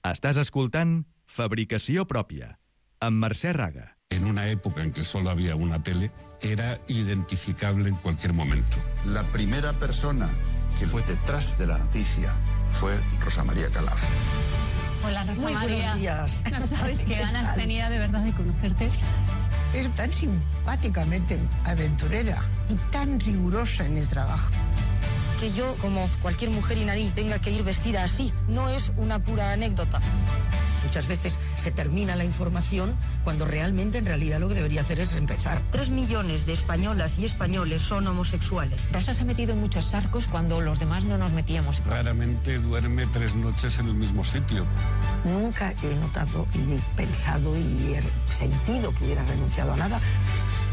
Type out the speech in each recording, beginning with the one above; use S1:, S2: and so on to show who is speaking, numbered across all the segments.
S1: Estàs escoltant Fabricació Pròpia, amb Mercè Raga.
S2: En una época en que solo había una tele, era identificable en cualquier momento.
S3: La primera persona que fue detrás de la noticia fue Rosa María Calaf.
S4: Hola, Rosa
S5: Muy
S4: María.
S5: buenos días.
S4: No sabes qué ganas tenía de verdad de conocerte.
S5: Es tan simpáticamente aventurera y tan rigurosa en el trabajo.
S6: Que yo, como cualquier mujer iraní, tenga que ir vestida así, no es una pura anécdota. Muchas veces se termina la información cuando realmente, en realidad, lo que debería hacer es empezar. 3 millones de españolas y españoles son homosexuales.
S4: Rosa se ha metido en muchos charcos cuando los demás no nos metíamos.
S2: Raramente duerme 3 noches en el mismo sitio.
S5: Nunca he notado y he pensado y he sentido que hubiera renunciado a nada.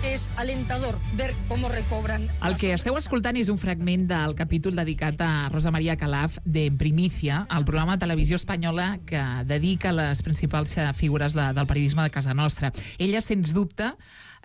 S6: És alentador ver com recobran...
S7: El que esteu escoltant és un fragment del capítol dedicat a Rosa María Calaf de Primicia, el programa de televisió espanyola que dedica les principals figures del periodisme de casa nostra. Ella, sens dubte,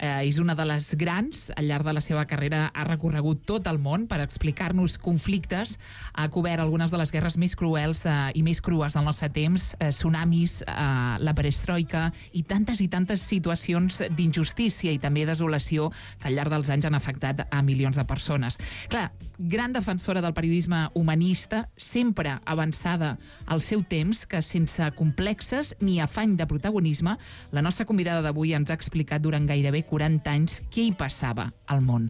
S7: és una de les grans. Al llarg de la seva carrera ha recorregut tot el món per explicar-nos conflictes, ha cobert algunes de les guerres més cruels i més crues del nostre temps, tsunamis, la perestroika i tantes situacions d'injustícia i també desolació que al llarg dels anys han afectat a milions de persones. Clar, gran defensora del periodisme humanista, sempre avançada al seu temps, que sense complexes ni afany de protagonisme, la nostra convidada d'avui ens ha explicat durant gairebé 40 anys què hi passava al món.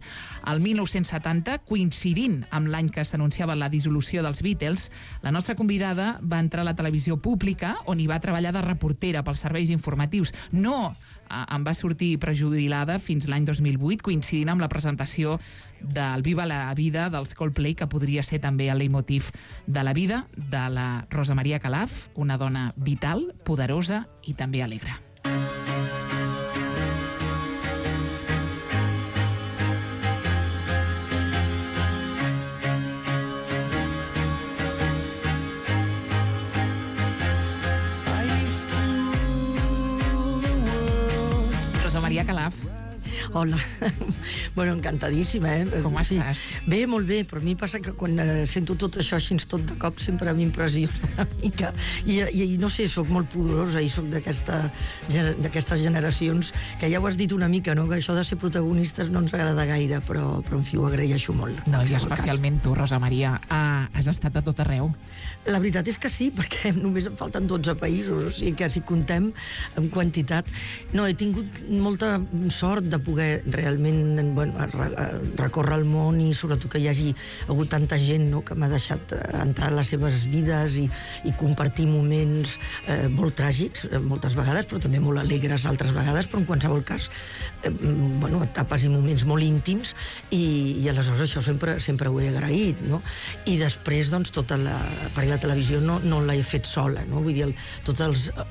S7: El 1970, coincidint amb l'any que s'anunciava la dissolució dels Beatles, la nostra convidada va entrar a la televisió pública, on hi va treballar de reportera pels serveis informatius. No em va sortir prejubilada fins l'any 2008, coincidint amb la presentació del Viva la Vida dels Coldplay, que podria ser també el leitmotiv de la vida de la Rosa María Calaf, una dona vital, poderosa i també alegre. María Calaf.
S5: Hola. Bueno, encantadíssima,
S7: Com estàs?
S5: Bé, molt bé, però a mi passa que quan sento tot això així tot de cop sempre m'impressiona una mica. I no sé, sóc molt poderosa i sóc d'aquestes generacions que ja ho has dit una mica, no? Que això de ser protagonistes no ens agrada gaire, però en fi, ho agraeixo molt.
S7: No, i especialment tu, Rosa Maria, has estat a tot arreu.
S5: La veritat és que sí, perquè només em falten 12 països, o sigui que si comptem en quantitat... No, he tingut molta sort de poder realment recórrer el món i sobretot que hi hagi hagut tanta gent, no?, que m'ha deixat entrar a les seves vides i compartir moments molt tràgics moltes vegades, però també molt alegres altres vegades, però en qualsevol cas etapes i moments molt íntims i aleshores això sempre ho he agraït, no? I després doncs perquè la televisió no l'he fet sola, no? Vull dir, tota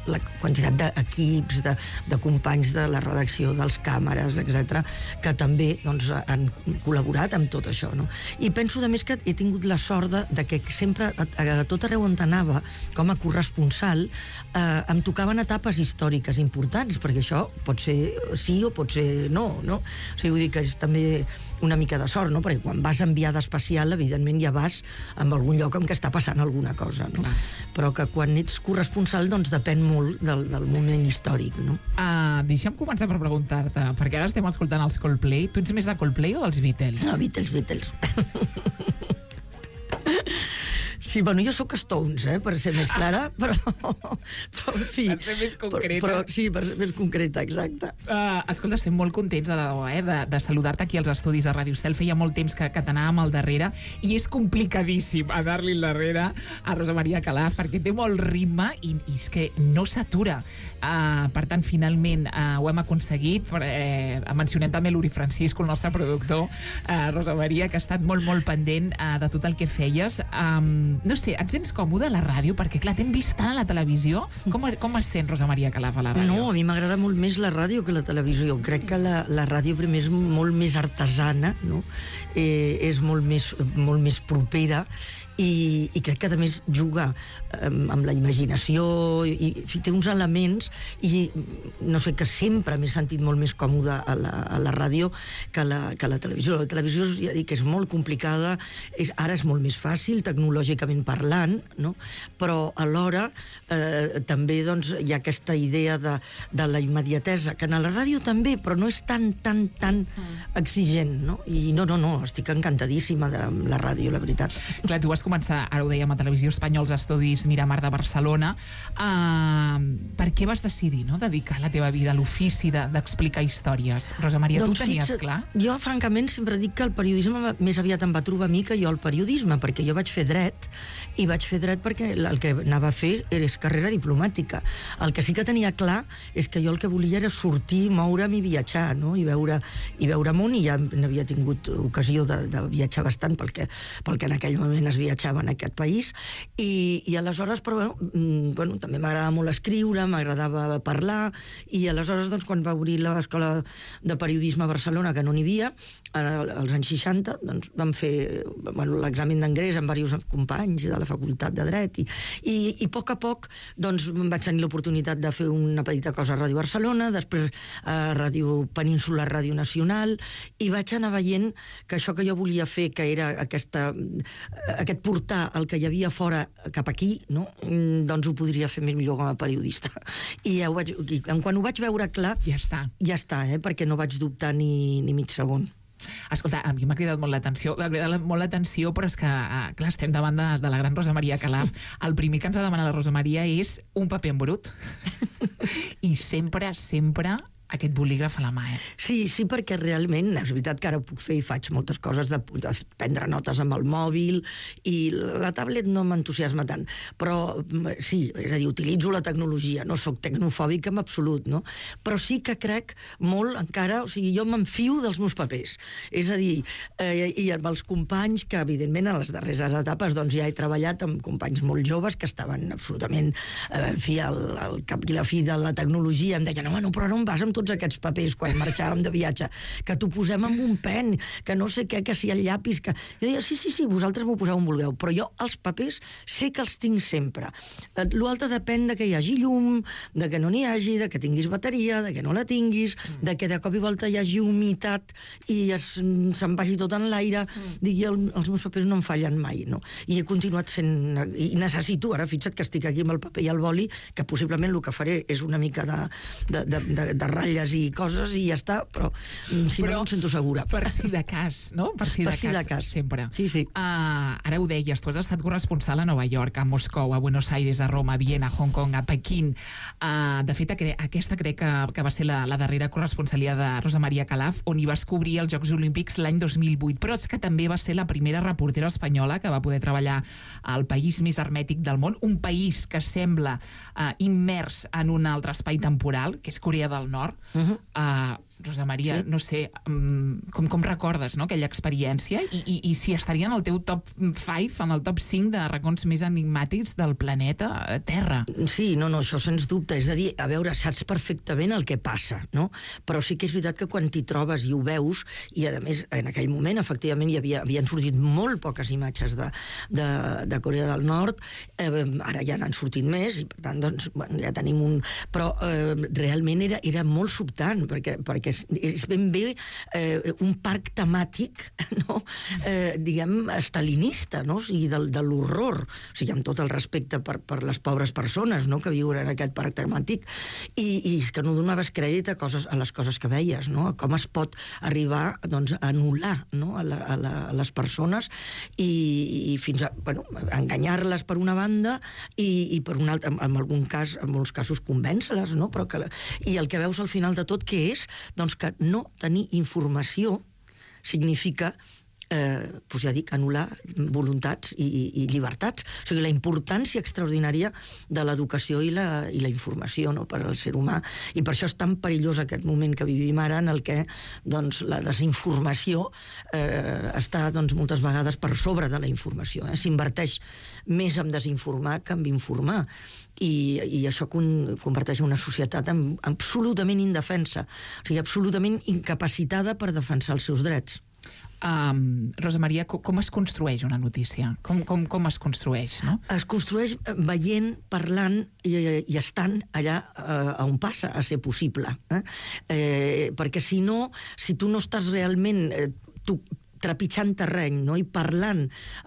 S5: la quantitat d'equips, de companys de la redacció, dels càmeres, etc., que també doncs, han col·laborat amb tot això, no? I penso, a més, que he tingut la sort de que sempre, a tot arreu on anava, com a corresponsal, em tocaven etapes històriques importants, perquè això pot ser sí o pot ser no, no? O sigui, vull dir que és també una mica de sort, no? Perquè quan vas enviada especial, evidentment ja vas en algun lloc en què està passant alguna cosa, no? Clar. Però que quan ets corresponsal, doncs depèn molt del moment històric, no?
S7: Deixa'm començar per preguntar-te, perquè ara estem escoltant els Coldplay. Tu ets més de Coldplay o dels Beatles?
S5: No, Beatles. Sí, bueno, jo sóc Stones, per ser més clara, però en fi...
S7: Per ser més concreta.
S5: Sí, per ser més concreta, exacte.
S7: Escolta, estem molt contents de saludar-te aquí als estudis de Ràdio Estel. Feia molt temps que t'anàvem al darrere i és complicadíssim anar-li al darrere a Rosa María Calaf perquè té molt ritme i és que no s'atura. Per tant, finalment ho hem aconseguit. Mencionem també l'Uri Francisco, el nostre productor, Rosa María, que ha estat molt, molt pendent de tot el que feies. No sé, et sents còmode a la ràdio? Perquè, clar, t'hem vist tant a la televisió. Com es sent Rosa María Calaf a la ràdio?
S5: No, a mi m'agrada molt més la ràdio que la televisió. Crec que la ràdio primer és molt més artesana, no? És molt més propera i crec que a més juga amb la imaginació i té uns elements i no sé, que sempre m'he sentit molt més còmode a la ràdio que a la televisió. La televisió, ja dic, és molt complicada, ara és molt més fàcil tecnològicament parlant, no? Però alhora també doncs, hi ha aquesta idea de la immediatesa, que a la ràdio també, però no és tan exigent, no? I no, estic encantadíssima de la ràdio, la veritat.
S7: Clar, tu vas començar, ara ho dèiem, a Televisió Espanyola, als estudis Miramar de Barcelona. Per què vas decidir, no?, dedicar la teva vida a l'ofici d'explicar històries? Rosa Maria, tu ho tenies clar?
S5: Jo, francament, sempre dic que el periodisme més aviat em va trobar a mi que jo el periodisme, perquè jo vaig fer dret, i vaig fer dret perquè el que anava a fer és carrera diplomàtica. El que sí que tenia clar és que jo el que volia era sortir, moure'm i viatjar, no?, i veure món, i ja n'havia tingut ocasió de viatjar bastant pel que en aquell moment es viatjava en aquest país, i aleshores, però bueno, també m'agradava molt escriure, m'agradava parlar, i aleshores, doncs, quan va obrir l'escola de periodisme a Barcelona, que no n'hi havia, als anys 60, doncs, vam fer l'examen d'ingrés amb diversos companys de la Facultat de Dret, i a poc, doncs, vaig tenir l'oportunitat de fer una petita cosa a Ràdio Barcelona, després a Ràdio Península, Ràdio Nacional, i vaig anar veient que això que jo volia fer, que era aquest portar el que hi havia fora cap aquí, no?, doncs ho podria fer més millor com a periodista. I quan ho vaig veure clar, ja està, perquè no vaig dubtar ni mig segon.
S7: Escolta, a mi m'ha cridat molt l'atenció, però és que, clar, estem davant de la gran Rosa Maria Calaf. El primer que ens ha demanat la Rosa Maria és un paper en brut. I sempre aquest bolígraf a la mà,
S5: Sí, perquè realment, és veritat que ara ho puc fer i faig moltes coses de prendre notes amb el mòbil, i la tablet no m'entusiasma tant, però sí, és a dir, utilitzo la tecnologia, no sóc tecnofòbica en absolut, no? Però sí que crec molt encara, o sigui, jo m'enfio dels meus papers, és a dir, i amb els companys que, evidentment, en les darreres etapes, doncs ja he treballat amb companys molt joves que estaven absolutament, en fi, al cap i la fi de la tecnologia, em deien, no, però no em vas amb tots aquests papers quan marxàvem de viatge, que t'ho posem amb un pen, que no sé què, que si el llapis, que... Jo deia, sí, vosaltres m'ho poseu on vulgueu, però jo els papers sé que els tinc sempre. L'altre depèn de que hi hagi llum, de que no n'hi hagi, de que tinguis bateria, de que no la tinguis, de que de cop i volta hi hagi humitat i se'n vagi tot en l'aire. Digui, els meus papers no em fallen mai, no? I he continuat sent... I necessito, ara fixa't que estic aquí amb el paper i el boli, que possiblement el que faré és una mica de ratlles i coses i ja està, però si no em sento segura.
S7: Per si de cas, no? Per si de cas, sempre.
S5: Sí.
S7: Ara ho deies, tu has estat corresponsal a Nova York, a Moscou, a Buenos Aires, a Roma, a Viena, a Hong Kong, a Pequín. De fet, aquesta crec que va ser la darrera corresponsalia de Rosa Maria Calaf, on hi vas cobrir els Jocs Olímpics l'any 2008, però és que també va ser la primera reportera espanyola que va poder treballar al país més hermètic del món, un país que sembla immers en un altre espai temporal, que és Corea del Nord. Rosa Maria, no sé, com recordes, no, aquella experiència i si estaria en el teu top 5, en el top 5 de racons més enigmàtics del planeta Terra.
S5: Sí, no, això sens dubte. És a dir, a veure, saps perfectament el que passa, no? Però sí que és veritat que quan t'hi trobes i ho veus, i a més, en aquell moment, efectivament, havien sortit molt poques imatges de Corea del Nord, ara ja n'han sortit més, i per tant, doncs, ja tenim un... Però realment era molt sobtant, perquè és ben bé un parc temàtic, no? Diguem, estalinista, no? O sigui, de l'horror, o sigui, amb tot el respecte per les pobres persones, no?, que viuen en aquest parc temàtic, i és que no donaves crèdit a les coses que veies, no?, com es pot arribar, doncs, a anul·lar, no?, a les persones i fins a, bueno, enganyar-les per una banda i per una altra, en molts casos convèncer-les, no?, però i el que veus al final de tot, què és? Doncs que no tenir informació significa, doncs ja dic, anul·lar voluntats i llibertats. O sigui, la importància extraordinària de l'educació i la informació, no?, per al ser humà. I per això és tan perillós aquest moment que vivim ara, en el que, doncs, la desinformació està, doncs, moltes vegades per sobre de la informació. S'inverteix més en desinformar que en informar. I això converteix una societat absolutament indefensa, o sigui, absolutament incapacitada per defensar els seus drets.
S7: Rosa Maria, com es construeix una notícia? Com es construeix, no?
S5: Es construeix veient, parlant i estant allà on passa a ser possible. Perquè si no, si tu no estàs realment trepitjant terreny, no? I parlant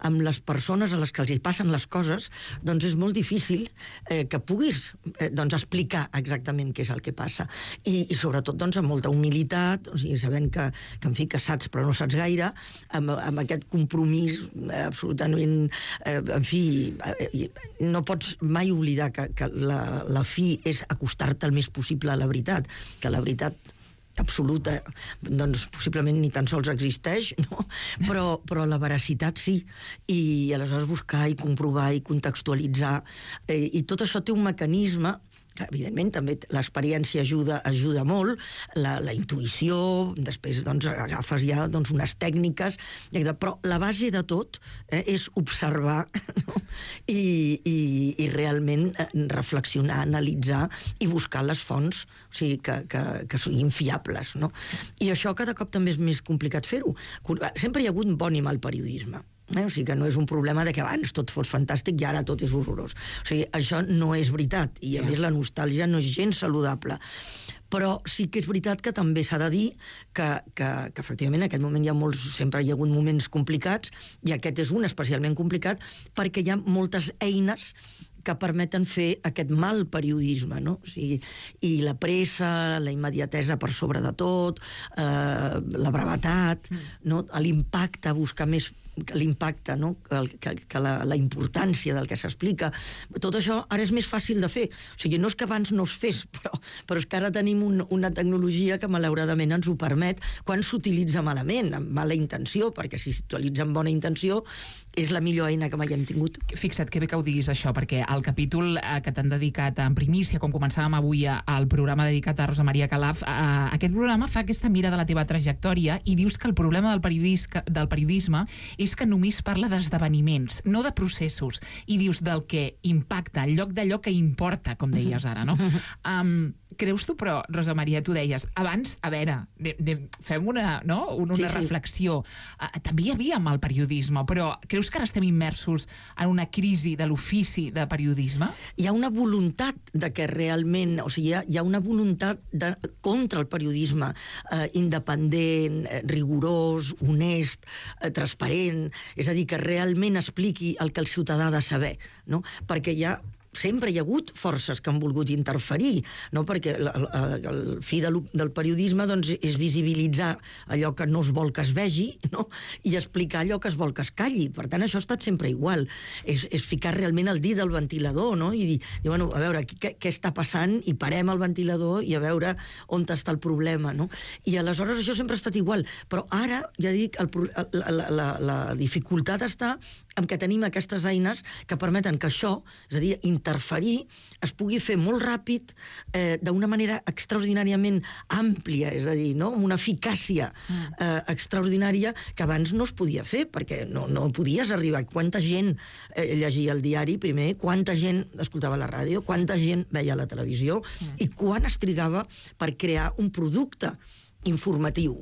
S5: amb les persones a les que els hi passen les coses, doncs és molt difícil que puguis explicar exactament què és el que passa. I sobretot doncs, amb molta humilitat, o sigui, sabent que en fi, que saps però no saps gaire, amb aquest compromís absolutament... En fi, no pots mai oblidar que la fi és acostar-te el més possible a la veritat, que la veritat absoluta, doncs possiblement ni tan sols existeix, no? Però la veracitat sí, i aleshores buscar i comprovar i contextualitzar, i tot això té un mecanisme que evidentment també l'experiència ajuda molt, la intuïció, després doncs, agafes ja unes tècniques, però la base de tot és observar, no? I realment reflexionar, analitzar i buscar les fonts, o sigui, que siguin fiables, no? I això cada cop també és més complicat fer-ho. Sempre hi ha hagut bon i mal periodisme. O sigui que no és un problema de que abans tot fos fantàstic i ara tot és horrorós. O sigui, això no és veritat, i a més la nostàlgia no és gens saludable. Però sí que és veritat que també s'ha de dir que efectivament en aquest moment sempre hi ha hagut moments complicats, i aquest és un especialment complicat perquè hi ha moltes eines que permeten fer aquest mal periodisme, no? O sigui, i la pressa, la immediatesa per sobre de tot, la brevetat, no? L'impacte, buscar més l'impacte, no? que la importància del que s'explica. Tot això ara és més fàcil de fer. O sigui, no és que abans no es fes, però és que ara tenim una tecnologia que malauradament ens ho permet quan s'utilitza malament, amb mala intenció, perquè si s'utilitza amb bona intenció és la millor eina que mai hem tingut.
S7: Fixa't que bé que ho diguis això, perquè el capítol que t'han dedicat en primícia, com començàvem avui al programa dedicat a Rosa Maria Calaf, aquest programa fa aquesta mira de la teva trajectòria i dius que el problema del periodisme és que només parla d'esdeveniments, no de processos, i dius del que impacta, en lloc d'allò que importa, com deies ara, no? Creus tu, però, Rosa Maria, tu deies, abans, a veure, fem una reflexió. També hi havia mal periodisme, però creus que ara estem immersos en una crisi de l'ofici de periodisme?
S5: Hi ha una voluntat de que realment, o sigui, hi ha una voluntat contra el periodisme independent, rigorós, honest, transparent, és a dir, que realment expliqui el que el ciutadà ha de saber, no? Perquè sempre hi ha hagut forces que han volgut interferir, no? Perquè el fi del periodisme doncs, és visibilitzar allò que no es vol que es vegi, no? I explicar allò que es vol que es calli. Per tant, això ha estat sempre igual. És ficar realment el dit al ventilador, no? I dir, bueno, a veure, què està passant? I parem el ventilador i a veure on està el problema, no? I aleshores això sempre ha estat igual. Però ara, ja dic, la dificultat està en què tenim aquestes eines que permeten que això, és a dir, interferir, es pugui fer molt ràpid, d'una manera extraordinàriament àmplia, és a dir, no? Amb una eficàcia extraordinària que abans no es podia fer, perquè no podies arribar. Quanta gent llegia el diari primer, quanta gent escoltava la ràdio, quanta gent veia la televisió, i quan es trigava per crear un producte informatiu,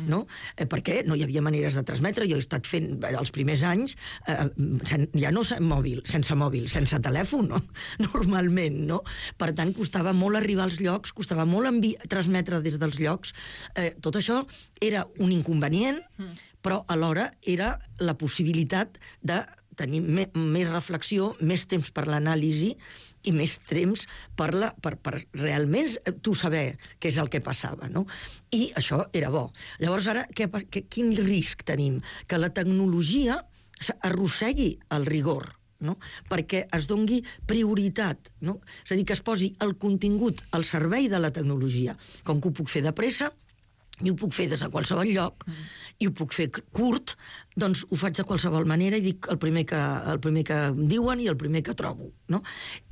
S5: no? Perquè no hi havia maneres de transmetre. Jo he estat fent els primers anys ja no sense mòbil, sense telèfon, no? Normalment, no? Per tant, costava molt arribar als llocs, costava molt transmetre des dels llocs. Tot això era un inconvenient, però alhora era la possibilitat de tenir més reflexió, més temps per l'anàlisi i més temps per realment tu saber què és el que passava, no? I això era bo. Llavors ara, quin risc tenim? Que la tecnologia arrossegui el rigor, no? Perquè es dongui prioritat, no? És a dir, que es posi el contingut al servei de la tecnologia. Com que ho puc fer de pressa, i ho puc fer des de qualsevol lloc, i ho puc fer curt, doncs ho faig de qualsevol manera i dic el primer que em diuen i el primer que trobo, no?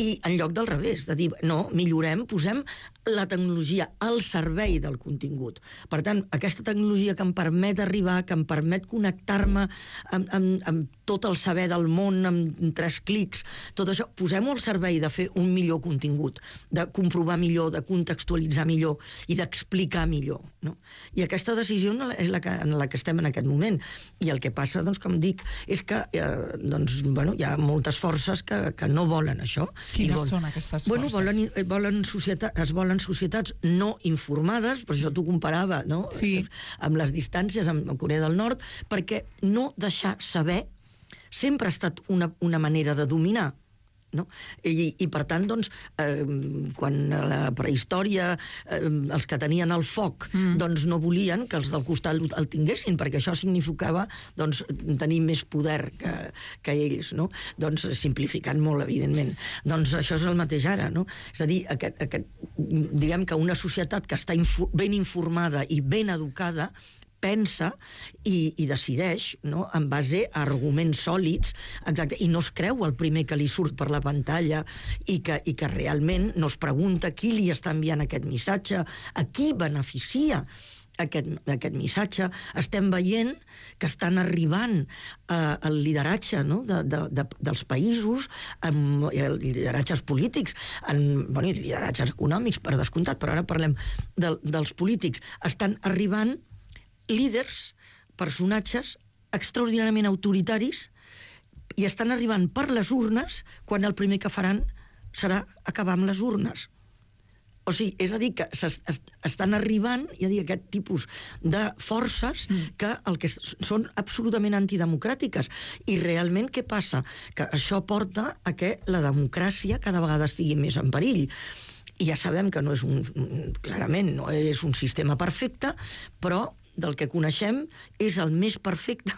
S5: I en lloc del revés, de dir, no, millorem, posem la tecnologia al servei del contingut. Per tant, aquesta tecnologia que em permet arribar, que em permet connectar-me amb tot el saber del món, amb 3 clics, tot això, posem-ho al servei de fer un millor contingut, de comprovar millor, de contextualitzar millor i d'explicar millor, no? I aquesta decisió és en la que estem en aquest moment. I el que passa, doncs, com dic, és que hi ha moltes forces que no volen això.
S7: Quines són aquestes forces?
S5: Es volen societats no informades, per això t'ho comparava, no?
S7: Sí.
S5: Amb les distàncies amb Corea del Nord, perquè no deixar saber sempre ha estat una manera de dominar, no? I per tant, doncs, quan a la prehistòria els que tenien el foc doncs no volien que els del costat el tinguessin, perquè això significava doncs, tenir més poder que ells, no? Doncs simplificant molt, evidentment. Doncs això és el mateix ara, no? És a dir, diguem que una societat que està ben informada i ben educada pensa i decideix, no?, en base a arguments sòlids, exacte, i no es creu el primer que li surt per la pantalla i que realment no es pregunta qui li està enviant aquest missatge, a qui beneficia aquest missatge. Estem veient que estan arribant el lideratge, no?, dels països, lideratges polítics, lideratges econòmics, per descomptat, però ara parlem dels polítics. Estan arribant líders, personatges extraordinàriament autoritaris, i estan arribant per les urnes quan el primer que faran serà acabar amb les urnes. O sigui, és a dir, que estan arribant, aquest tipus de forces que són absolutament antidemocràtiques. I realment què passa? Que això porta a que la democràcia cada vegada estigui més en perill. I ja sabem que clarament no és un sistema perfecte, però del que coneixem és el més perfecte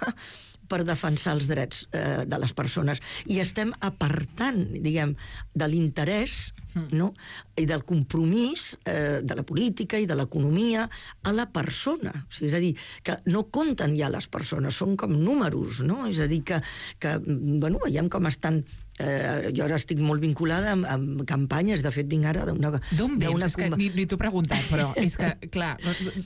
S5: per defensar els drets de les persones. I estem apartant, diguem, de l'interès, no?, i del compromís de la política i de l'economia a la persona. O sigui, és a dir, que no compten ja les persones, són com números, no? És a dir, que veiem com estan... jo ara estic molt vinculada amb campanyes, de fet vinc ara d'una...
S7: D'on vens? És que ni t'ho he preguntat, però és que, clar...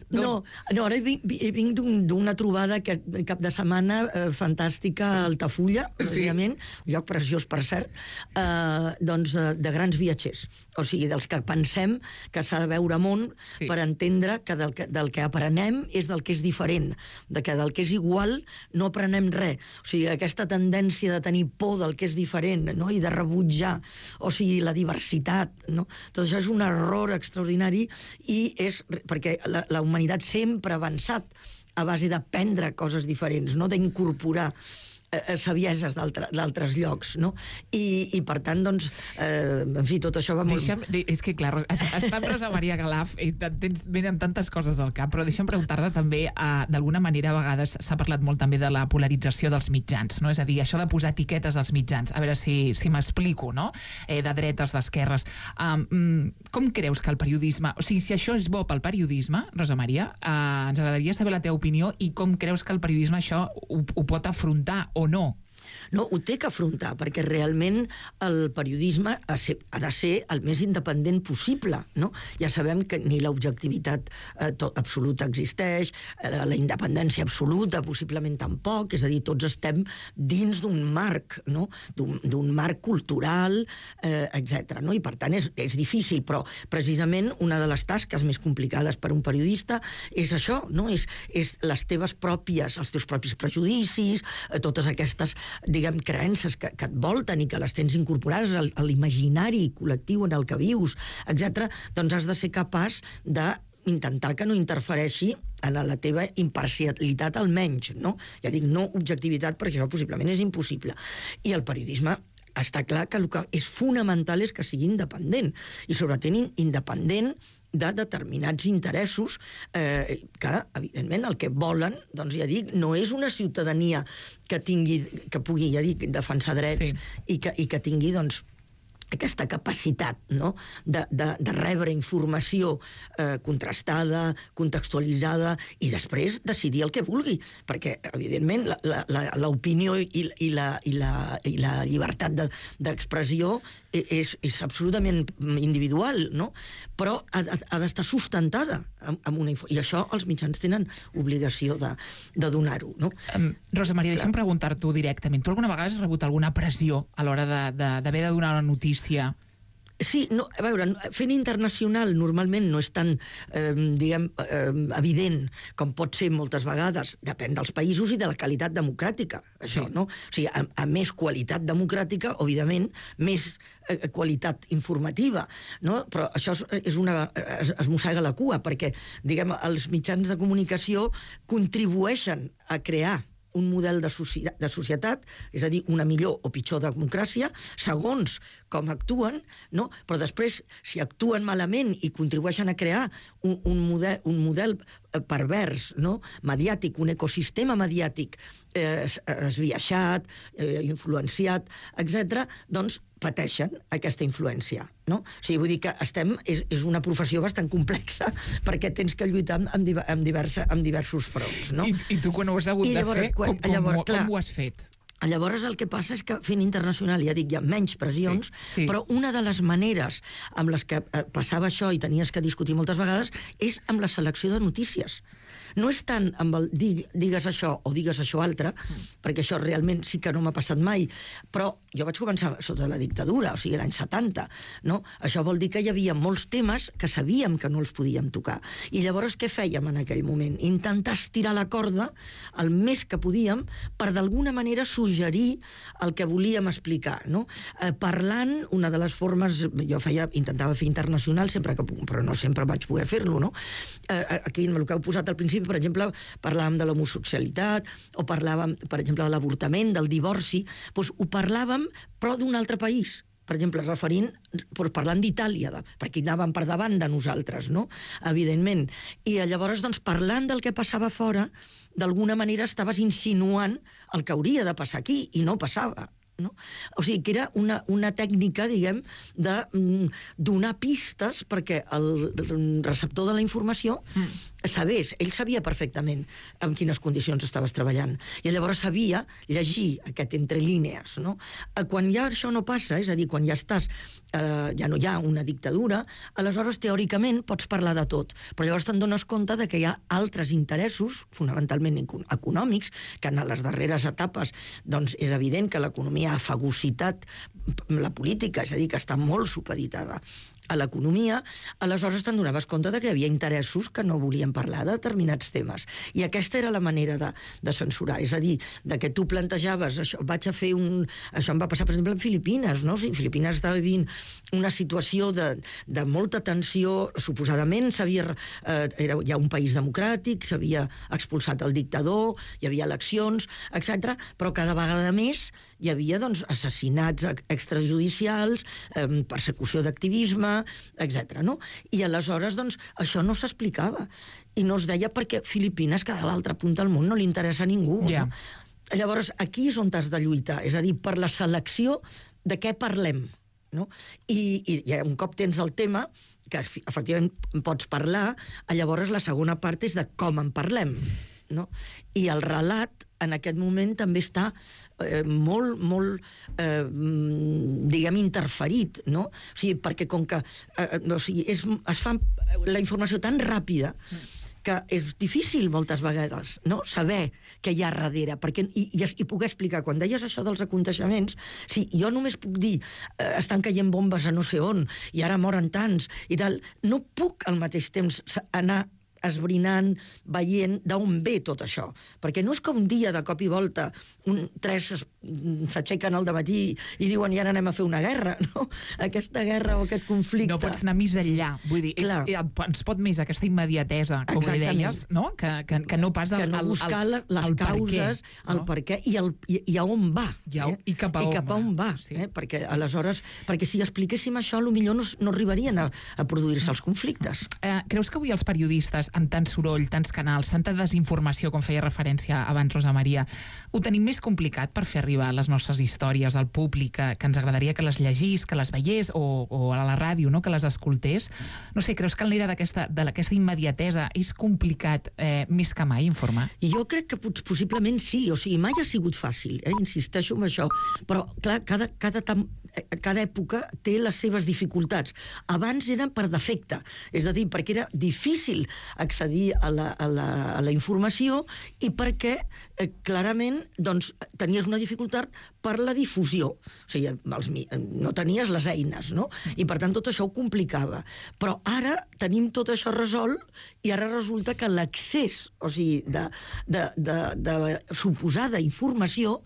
S5: No, ara vinc d'una trobada cap de setmana fantàstica a Altafulla, precisament, un lloc preciós, per cert, doncs de grans viatgers. O sigui, dels que pensem que s'ha de veure món per entendre que del que aprenem és del que és diferent, que del que és igual no aprenem res. O sigui, aquesta tendència de tenir por del que és diferent, no?, i de rebutjar, o sigui, la diversitat, no? Tot això és un error extraordinari, i és perquè la humanitat sempre ha avançat a base d'aprendre coses diferents, no?, d'incorporar sabieses d'altres llocs, no? I per tant, doncs, en fi, tot això va molt...
S7: És que, clar, està amb Rosa Maria Calaf i venen tantes coses al cap, però deixa'm preguntar-te també, d'alguna manera, a vegades s'ha parlat molt també de la polarització dels mitjans, no? És a dir, això de posar etiquetes als mitjans, a veure si m'explico, no? De dretes, d'esquerres. Com creus que el periodisme... O sigui, si això és bo pel periodisme, Rosa Maria, ens agradaria saber la teva opinió, i com creus que el periodisme això ho pot afrontar o no?
S5: No, ho té que afrontar, perquè realment el periodisme ha de ser el més independent possible, no? Ja sabem que ni l'objectivitat absoluta existeix, la independència absoluta possiblement tampoc, és a dir, tots estem dins d'un marc, no?, d'un marc cultural, etc. No? I per tant és difícil, però precisament una de les tasques més complicades per un periodista és això, no? És les teves pròpies, els teus propis prejudicis, totes aquestes, diguem, creences que et volten i que les tens incorporades a l'imaginari col·lectiu en el que vius, etc., doncs has de ser capaç d'intentar que no interfereixi en la teva imparcialitat, almenys, no? Ja dic, no objectivitat, perquè això possiblement és impossible. I el periodisme està clar que el que és fonamental és que sigui independent, i sobretot independent de determinats interessos que, evidentment, el que volen, doncs ja dic, no és una ciutadania que pugui, ja dic, defensar drets i que tingui, doncs, aquesta capacitat, no?, de rebre informació contrastada, contextualitzada, i després decidir el que vulgui, perquè, evidentment, l'opinió i la llibertat d'expressió és absolutament individual, no?, però ha d'estar sustentada amb una informació, i això els mitjans tenen obligació de donar-ho, no?
S7: Rosa Maria, deixa'm preguntar-t'ho directament. Tu alguna vegada has rebut alguna pressió a l'hora d'haver de donar una notícia?
S5: Sí, no, a veure, fent internacional normalment no és tan, evident com pot ser moltes vegades, depèn dels països i de la qualitat democràtica, això, no? O sigui, a més qualitat democràtica, òbviament, més qualitat informativa, no? Però això es mossega la cua, perquè, diguem, els mitjans de comunicació contribueixen a crear un model de societat, és a dir, una millor o pitjor democràcia, segons com actuen, no? Però després, si actuen malament i contribueixen a crear un model pervers, no? Mediàtic, un ecosistema mediàtic esbiaixat, influenciat, etc., doncs pateixen aquesta influència, no? O sigui, vull dir que és una professió bastant complexa perquè tens que lluitar amb diversos fronts, no?
S7: I tu, quan ho has hagut de fer, com ho has fet?
S5: Llavors el que passa és que fent internacional, ja dic, hi ha menys pressions,
S7: sí.
S5: Però una de les maneres amb les que passava això i tenies que discutir moltes vegades és amb la selecció de notícies. No és tant amb el digues això o digues això altre, perquè això realment sí que no m'ha passat mai, però jo vaig començar sota la dictadura, o sigui, l'any 70, no? Això vol dir que hi havia molts temes que sabíem que no els podíem tocar. I llavors què fèiem en aquell moment? Intentar estirar la corda el més que podíem per d'alguna manera suggerir el que volíem explicar, no? Parlant, una de les formes, jo intentava fer internacional sempre que puc, però no sempre vaig poder fer-lo, no? Aquí, el que heu posat al principi, per exemple, parlàvem de l'homosexualitat, o parlàvem, per exemple, de l'avortament, del divorci, doncs ho parlàvem, però d'un altre país. Per exemple, parlant d'Itàlia, perquè anàvem per davant de nosaltres, no? Evidentment. I llavors, doncs, parlant del que passava fora, d'alguna manera estaves insinuant el que hauria de passar aquí, i no passava. No? O sigui, que era una tècnica, diguem, de donar pistes perquè el receptor de la informació sabés, ell sabia perfectament en quines condicions estaves treballant, i llavors sabia llegir aquest entre línies, no? Quan ja això no passa, és a dir, quan ja estàs, ja no hi ha una dictadura, aleshores teòricament pots parlar de tot, però llavors te'n dones compte de que hi ha altres interessos, fonamentalment econòmics, que en les darreres etapes doncs és evident que l'economia ha fagocitat la política, és a dir, que està molt supeditada a l'economia, aleshores te'n donaves compte de que hi havia interessos que no volien parlar de determinats temes. I aquesta era la manera de censurar. És a dir, de que tu plantejaves, això em va passar, per exemple, en Filipines, no? O sigui, Filipines estava vivint una situació de molta tensió, suposadament era ja un país democràtic, s'havia expulsat el dictador, hi havia eleccions, etc. Però cada vegada més hi havia doncs, assassinats extrajudicials, persecució d'activisme, etc. No? I aleshores doncs, això no s'explicava. I no es deia perquè Filipines, que a l'altra punta del món no li interessa a ningú.
S7: Yeah.
S5: No? Llavors, aquí és on t'has de lluitar, és a dir, per la selecció de què parlem. No? I un cop tens el tema, que efectivament pots parlar, llavors la segona part és de com en parlem. No? I el relat en aquest moment també està molt, diguem, interferit, no? O sigui, perquè com que es fa la informació tan ràpida que és difícil moltes vegades, no? Saber què hi ha darrere, perquè, i poder explicar. Quan deies això dels aconteixements, si jo només puc dir estan caient bombes a no sé on, i ara moren tants, i tal, no puc al mateix temps anar esbrinant, veient d'on ve tot això. Perquè no és que un dia, de cop i volta, tres s'aixequen al dematí i diuen i ara anem a fer una guerra, no? Aquesta guerra o aquest conflicte...
S7: No pots anar més enllà. Vull dir, ens pot més aquesta immediatesa, com li deies, no? Que no pas
S5: que no buscar les causes, el per què, i a on va.
S7: I cap a on va.
S5: Perquè aleshores, perquè si expliquéssim això, potser no arribarien a produir-se els conflictes.
S7: Creus que avui els periodistes, amb tant soroll, tants canals, tanta desinformació, com feia referència abans Rosa Maria, ho tenim més complicat per fer arribar les nostres històries al públic, que ens agradaria que les llegís, que les veiés, o a la ràdio, no? Que les escoltés? No sé, creus que en l'era d'aquesta immediatesa és complicat més que mai informar?
S5: Jo crec que possiblement sí, o sigui, mai ha sigut fàcil, insisteixo en això, però clar, cada època té les seves dificultats. Abans eren per defecte, és a dir, perquè era difícil accedir a la informació i perquè clarament doncs, tenies una dificultat dificultat per la difusió. O sigui, no tenies les eines, no? I per tant tot això ho complicava. Però ara tenim tot això resolt i ara resulta que l'accés, o sigui, de suposada informació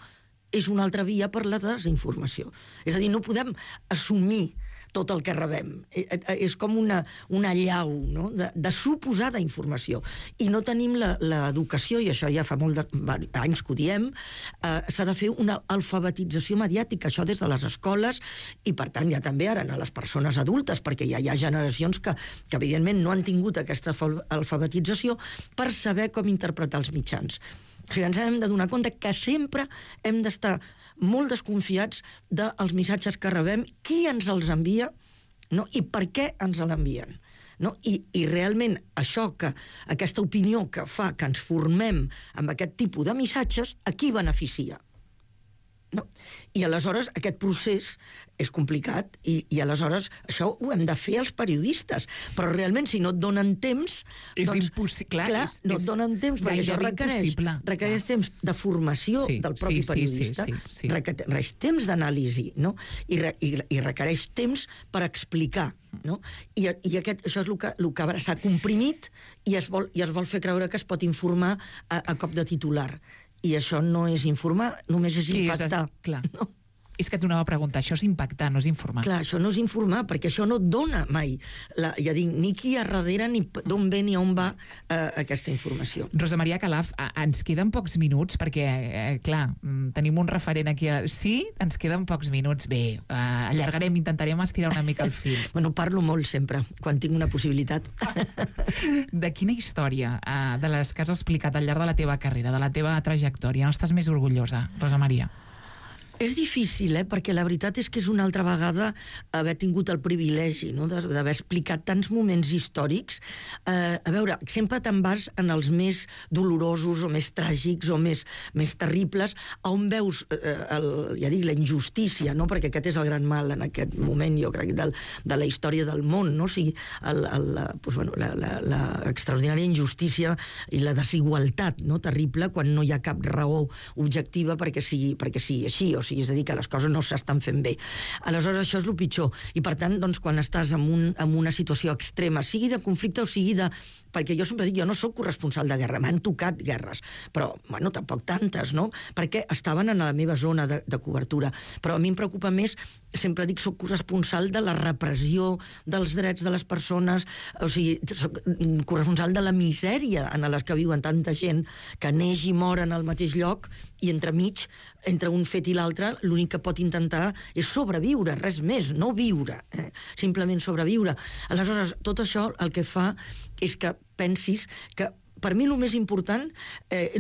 S5: és una altra via per la desinformació. És a dir, no podem assumir tot el que rebem. És com una allau, no? de suposada informació. I no tenim l'educació, i això ja fa molts anys que ho diem, s'ha de fer una alfabetització mediàtica, això des de les escoles, i per tant ja també ara a les persones adultes, perquè ja hi ha generacions que evidentment no han tingut aquesta alfabetització per saber com interpretar els mitjans. O sigui, ens hem de donar compte que sempre hem d'estar molt desconfiats dels missatges que rebem, qui ens els envia, no? I per què ens l'envien. No? I realment això, aquesta opinió que fa que ens formem amb aquest tipus de missatges, a qui beneficia? No? I aleshores aquest procés és complicat i aleshores això ho hem de fer els periodistes, però realment si no et donen temps
S7: és impossible,
S5: clar, no et donen temps perquè això requereix temps de formació del propi periodista, requereix temps d'anàlisi, no? I requereix temps per explicar, no? I això és el que s'ha comprimit i es vol fer creure que es pot informar a cop de titular. I això no és informar, només és impactar.
S7: Clar. No? És que t'ho anava a preguntar, això és impactar, no és informar.
S5: Clar, això no és informar, perquè això no et dona mai, ja dic, ni qui hi ha darrere, ni d'on ve, ni on va aquesta informació.
S7: Rosa Maria Calaf, ens queden pocs minuts, perquè, clar, tenim un referent aquí. Sí, ens queden pocs minuts. Bé, allargarem, intentarem estirar una mica el fil.
S5: Bueno, parlo molt sempre, quan tinc una possibilitat.
S7: De quina història, de les que has explicat al llarg de la teva carrera, de la teva trajectòria, n'estàs més orgullosa, Rosa Maria?
S5: És difícil, perquè la veritat és que és una altra vegada haver tingut el privilegi, no?, d'haver explicat tants moments històrics. A veure, sempre te'n vas en els més dolorosos o més tràgics o més terribles, on veus, ja dic, la injustícia, no?, perquè aquest és el gran mal en aquest moment, jo crec, de la història del món, no? O sigui, l'extraordinària injustícia i la desigualtat, no?, terrible, quan no hi ha cap raó objectiva perquè sigui així, o sigui, és a dir, que les coses no s'estan fent bé. Aleshores, això és el pitjor. I, per tant, doncs, quan estàs en una situació extrema, sigui de conflicte o sigui de... Perquè jo sempre dic, jo no soc corresponsal de guerra, m'han tocat guerres, però, bueno, tampoc tantes, no? Perquè estaven en la meva zona de cobertura. Però a mi em preocupa més, sempre dic, soc corresponsal de la repressió dels drets de les persones, o sigui, soc corresponsal de la misèria en la que viuen tanta gent, que neix i mor en el mateix lloc, i entremig, entre un fet i l'altre, l'únic que pot intentar és sobreviure, res més, no viure, simplement sobreviure. Aleshores, tot això el que fa és que pensis que per mi el més important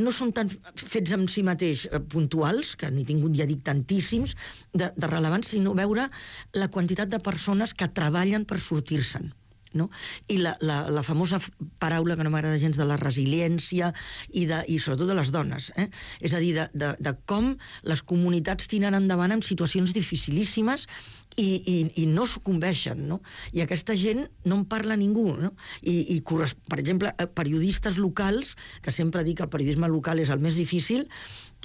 S5: no són tant fets en si mateix puntuals, que n'he tingut, ja dic, tantíssims de rellevants, sinó veure la quantitat de persones que treballen per sortir-se'n. No? I la famosa paraula que no m'agrada gens de la resiliència i sobretot de les dones, és a dir, de com les comunitats tiren endavant en situacions dificilíssimes i no sucumbeixen, no? I aquesta gent no en parla ningú, no? I per exemple, periodistes locals, que sempre dic que el periodisme local és el més difícil,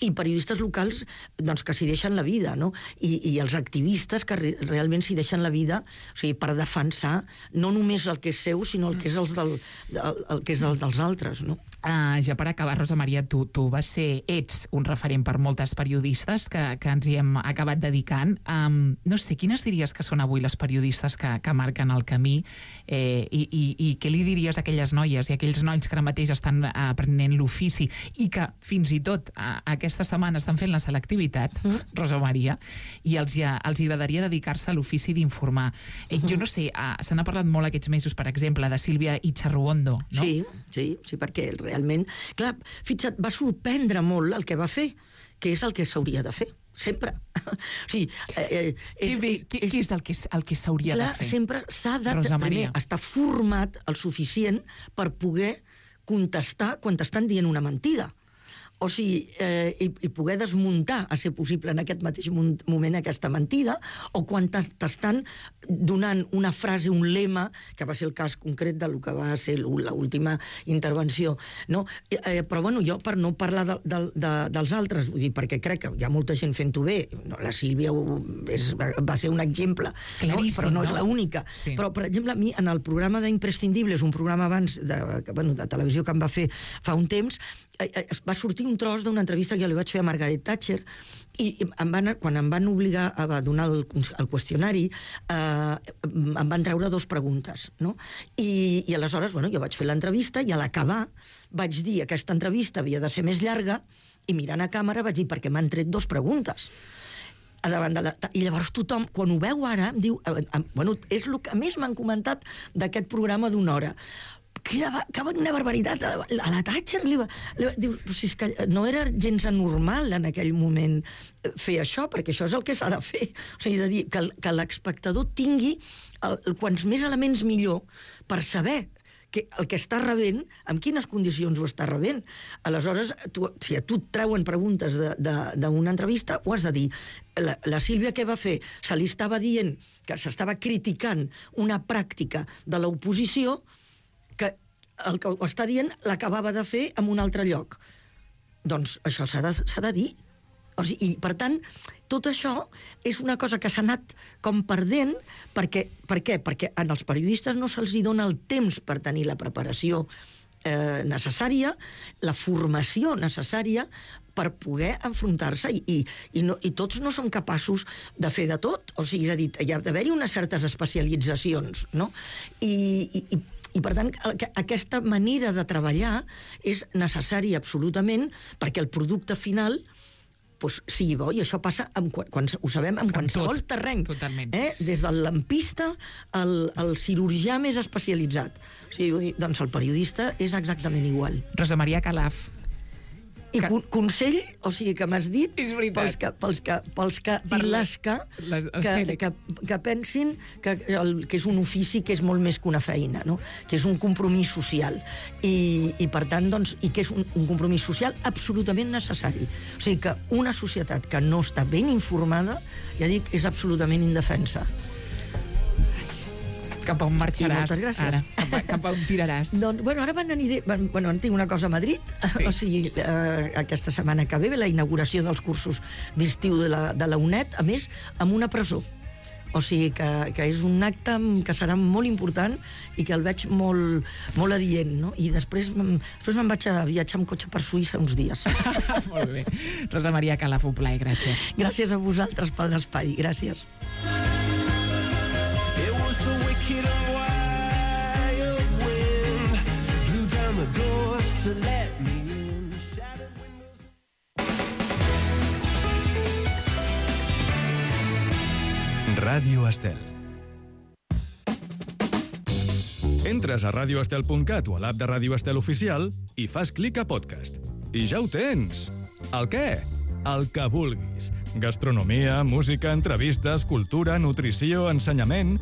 S5: i periodistes locals doncs, que s'hi deixen la vida, no? I els activistes que realment s'hi deixen la vida, o sigui, per defensar no només el que és seu, sinó el que és dels altres, no?
S7: Ja per acabar, Rosa Maria, tu ets un referent per moltes periodistes que ens hi hem acabat dedicant. No sé, quines diries que són avui les periodistes que marquen el camí i què li diries a aquelles noies i a aquells nois que ara mateix estan aprenent l'ofici i que fins i tot aquesta setmana estan fent la selectivitat, Rosa Maria, i els agradaria dedicar-se a l'ofici d'informar. Jo no sé, se n'ha parlat molt aquests mesos, per exemple, de Sílvia Icharruondo, no?
S5: Sí, perquè realment... Clar, fixa't, va sorprendre molt el que va fer, que és el que s'hauria de fer. Sempre. O sigui,
S7: què és el que s'hauria de fer?
S5: Clar, sempre s'ha de primer estar format el suficient per poder contestar quan t'estan dient una mentida o sigui, i poder desmuntar, a ser possible en aquest mateix moment, aquesta mentida, o quan t'estan donant una frase, un lema, que va ser el cas concret del que va ser l'última intervenció, no? Però, bueno, jo, per no parlar dels altres, vull dir, perquè crec que hi ha molta gent fent-ho bé, la Sílvia va ser un exemple, no? Però no és l'única.
S7: Sí.
S5: Però, per exemple, a mi, en el programa d'Imprescindibles, un programa abans de televisió que em va fer fa un temps, va sortir un tros d'una entrevista que jo li vaig fer a Margaret Thatcher i quan em van obligar a donar el qüestionari em van treure 2 preguntes, no? I aleshores, bueno, jo vaig fer l'entrevista i a l'acabar vaig dir que aquesta entrevista havia de ser més llarga i mirant a càmera vaig dir perquè m'han tret 2 preguntes. I llavors tothom, quan ho veu ara, em diu... Bueno, és el que més m'han comentat d'aquest programa d'1 hora. Una barbaritat, a la Thatcher diu, si és que no era gens anormal en aquell moment fer això, perquè això és el que s'ha de fer, o sigui, és a dir, que l'espectador tingui quants més elements millor per saber que el que està rebent, en quines condicions ho està rebent. Aleshores, si a tu et treuen preguntes d'una entrevista, ho has de dir. La Sílvia què va fer? Se li estava dient que s'estava criticant una pràctica de l'oposició que el que ho està dient l'acabava de fer en un altre lloc. Doncs això s'ha de dir. O sigui, i, per tant, tot això és una cosa que s'ha anat com perdent. Per què? Perquè als periodistes no se'ls dona el temps per tenir la preparació necessària, la formació necessària per poder enfrontar-se i tots no som capaços de fer de tot. O sigui, és a dir, hi ha d'haver-hi unes certes especialitzacions, no? I per tant, aquesta manera de treballar és necessària absolutament perquè el producte final sigui bo, i això passa, ho sabem, en qualsevol terreny.
S7: Totalment.
S5: Des del lampista al cirurgià més especialitzat. O sigui, doncs el periodista és exactament igual.
S7: Rosa Maria Calaf.
S5: I consell, o sigui, que m'has dit, pels que pensin que és un ofici que és molt més que una feina, no? Que és un compromís social. I per tant, doncs, i que és un compromís social absolutament necessari. O sigui, que una societat que no està ben informada, ja dic, és absolutament indefensa.
S7: Cap a on marxaràs ara? Cap a on tiraràs?
S5: Doncs, bueno, ara en tinc una cosa a Madrid,
S7: sí.
S5: O sigui, aquesta setmana que ve la inauguració dels cursos d'estiu de la UNED, a més, amb una presó. O sigui, que és un acte que serà molt important i que el veig molt adient, no? I després me'n vaig a viatjar amb cotxe per Suïssa uns dies.
S7: Molt bé. Rosa Maria Calaf, un plaer, gràcies.
S5: Gràcies a vosaltres per l'espai, gràcies.
S8: Wicked and wild wind blew down the doors to let me in. Shattered windows.
S1: Ràdio Estel. Entres a radioestel.cat o a l'app de Ràdio Estel Oficial i fas clic a podcast. I ja ho tens! El què? El que vulguis. Gastronomia, música, entrevistes, cultura, nutrició, ensenyament...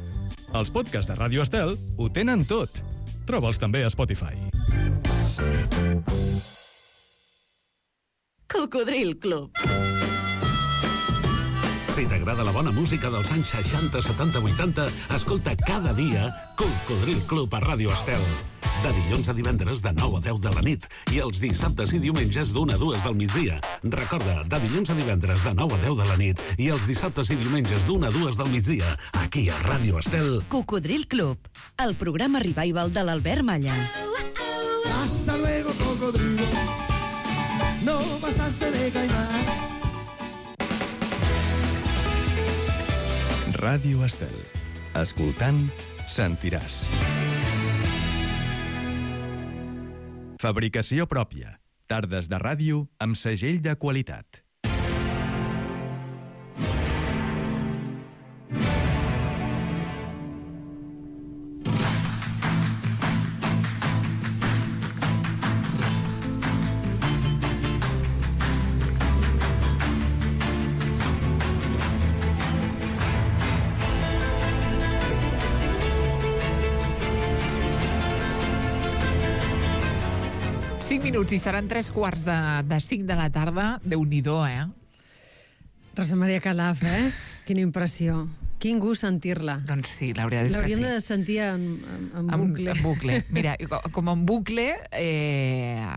S1: Els podcasts de Ràdio Estel ho tenen tot. Troba'ls també a Spotify.
S5: Cocodril Club.
S9: Si t'agrada la bona música dels anys 60, 70, 80, escolta cada dia Cocodril Club a Ràdio Estel. De dilluns a divendres de 9 a 10 de la nit i els dissabtes i diumenges d'1 a 2 del migdia. Recorda, de dilluns a divendres de 9 a 10 de la nit i els dissabtes i diumenges d'1 a 2 del migdia, aquí a Ràdio Estel.
S10: Cocodril Club, el programa revival de l'Albert Malla.
S8: Hasta luego, cocodrilo. No pasaste de caimán.
S1: Ràdio Estel. Escoltant, sentiràs. Fabricació pròpia. Tardes de ràdio amb segell de qualitat.
S7: 5 minuts i seran 3:45 de la tarda. Déu-n'hi-do,
S11: Rosa Maria Calaf, Quina impressió. Quin gust sentir-la.
S7: Doncs sí, la veritat és que sí.
S11: L'hauríem de sentir en bucle.
S7: En bucle. Mira, com en bucle hem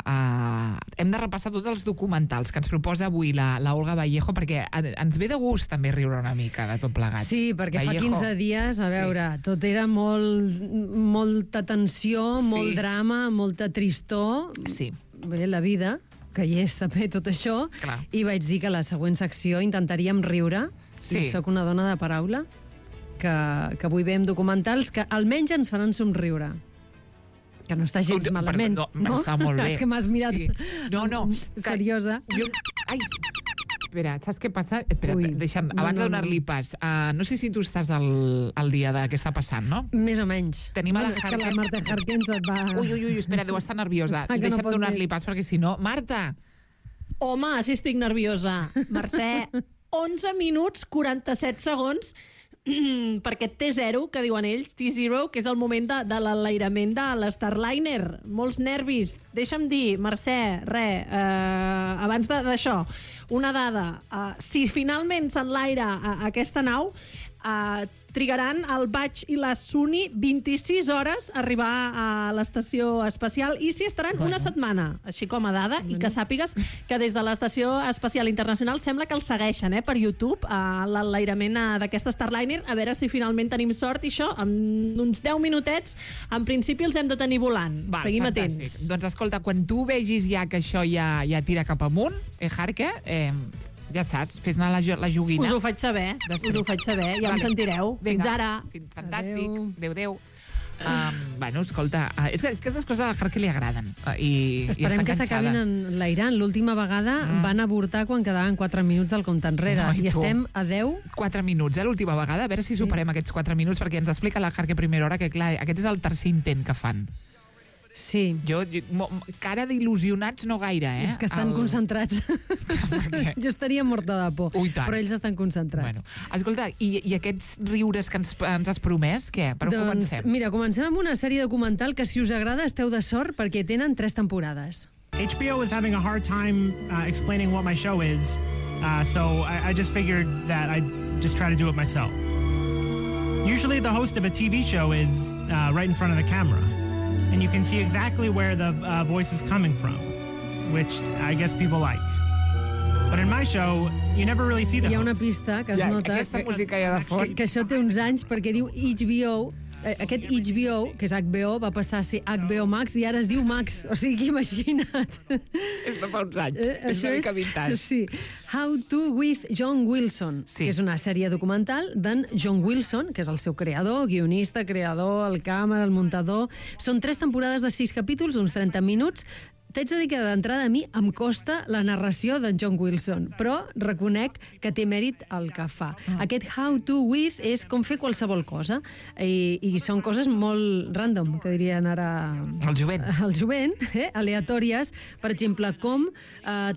S7: de repassar tots els documentals que ens proposa avui la Olga Vallejo, perquè ens ve de gust també riure una mica de tot plegat.
S11: Sí, perquè
S7: Vallejo.
S11: fa 15 dies, a veure, tot era molta tensió, molt drama, molta tristor.
S7: Sí.
S11: Bé, la vida, que hi és també tot això, i vaig dir que a la següent secció intentaríem riure.
S7: Sí.
S11: I soc una dona de paraula, que avui veiem documentals que almenys ens faran somriure. Que no està gens malament.
S7: No, està molt bé.
S11: És que m'has mirat seriosa.
S7: Ai, espera, saps què passa? Espera, deixa'm, abans de donar-li pas, no sé si tu estàs al dia de què està passant, no?
S11: Més o menys.
S7: Tenim a la
S11: és que la Marta Harkins et va...
S7: Ui, espera, deu estar nerviosa. Deixa'm donar-li pas, perquè si no... Marta!
S12: Home, si estic nerviosa. Mercè, 11 minuts, 47 segons, perquè T0, que diuen ells, T0, que és el moment de l'enlairament de l'Starliner. Molts nervis. Deixa'm dir, Mercè, abans d'això, una dada. Si finalment s'enlaira aquesta nau, trigaran el Bach i la Suni 26 hores a arribar a l'estació espacial i s'hi estaran una setmana, així com a dada, i que sàpigues que des de l'Estació Espacial Internacional sembla que el segueixen per YouTube, l'enlairament d'aquesta Starliner, a veure si finalment tenim sort, i això, en uns 10 minutets, en principi els hem de tenir volant. Seguim atents.
S7: Doncs escolta, quan tu vegis ja que això ja tira cap amunt, Jarque, ja saps, fes anar la joguina.
S12: Us ho faig saber, ja em sentireu. Fins ara.
S7: Fantàstic, adéu. Bueno, escolta, és que aquestes coses al Jarque li agraden.
S11: Esperem que s'acabin enlairant. L'última vegada van avortar quan quedaven 4 minuts del compte enrere. I estem a 10.
S7: 4 minuts, l'última vegada. A veure si superem aquests 4 minuts, perquè ens explica la Jarque a primera hora que, clar, aquest és el tercer intent que fan.
S11: Sí.
S7: Cara d'il·lusionats no gaire,
S11: És que estan concentrats. Jo estaria morta de por, però ells estan concentrats.
S7: Escolta, i aquests riures que ens has promès, què? Per on comencem?
S11: Mira, comencem amb una sèrie documental que, si us agrada, esteu de sort perquè tenen 3 temporades.
S13: HBO is having a hard time explaining what my show is, so I just figured that I'd just try to do it myself. Usually the host of a TV show is right in front of the camera, and you can see exactly where the voice is coming from, which I guess people like. But in my show, you never really see the host.
S11: Hi ha una pista que es nota que això té uns anys, perquè diu HBO. Aquest HBO, que és HBO, va passar a ser HBO Max i ara es diu Max. O sigui, imagina't.
S7: És de fa uns anys. És una mica vintage.
S11: Sí. How to with John Wilson, que és una sèrie documental d'en John Wilson, que és el seu creador, guionista, creador, el càmera, el muntador. Són 3 temporades de 6 capítols, d'uns 30 minuts. T'haig de dir que d'entrada a mi em costa la narració d'en John Wilson, però reconec que té mèrit el que fa. Aquest how to with és com fer qualsevol cosa, i són coses molt random, que dirien ara...
S7: El jovent.
S11: Aleatòries. Per exemple, com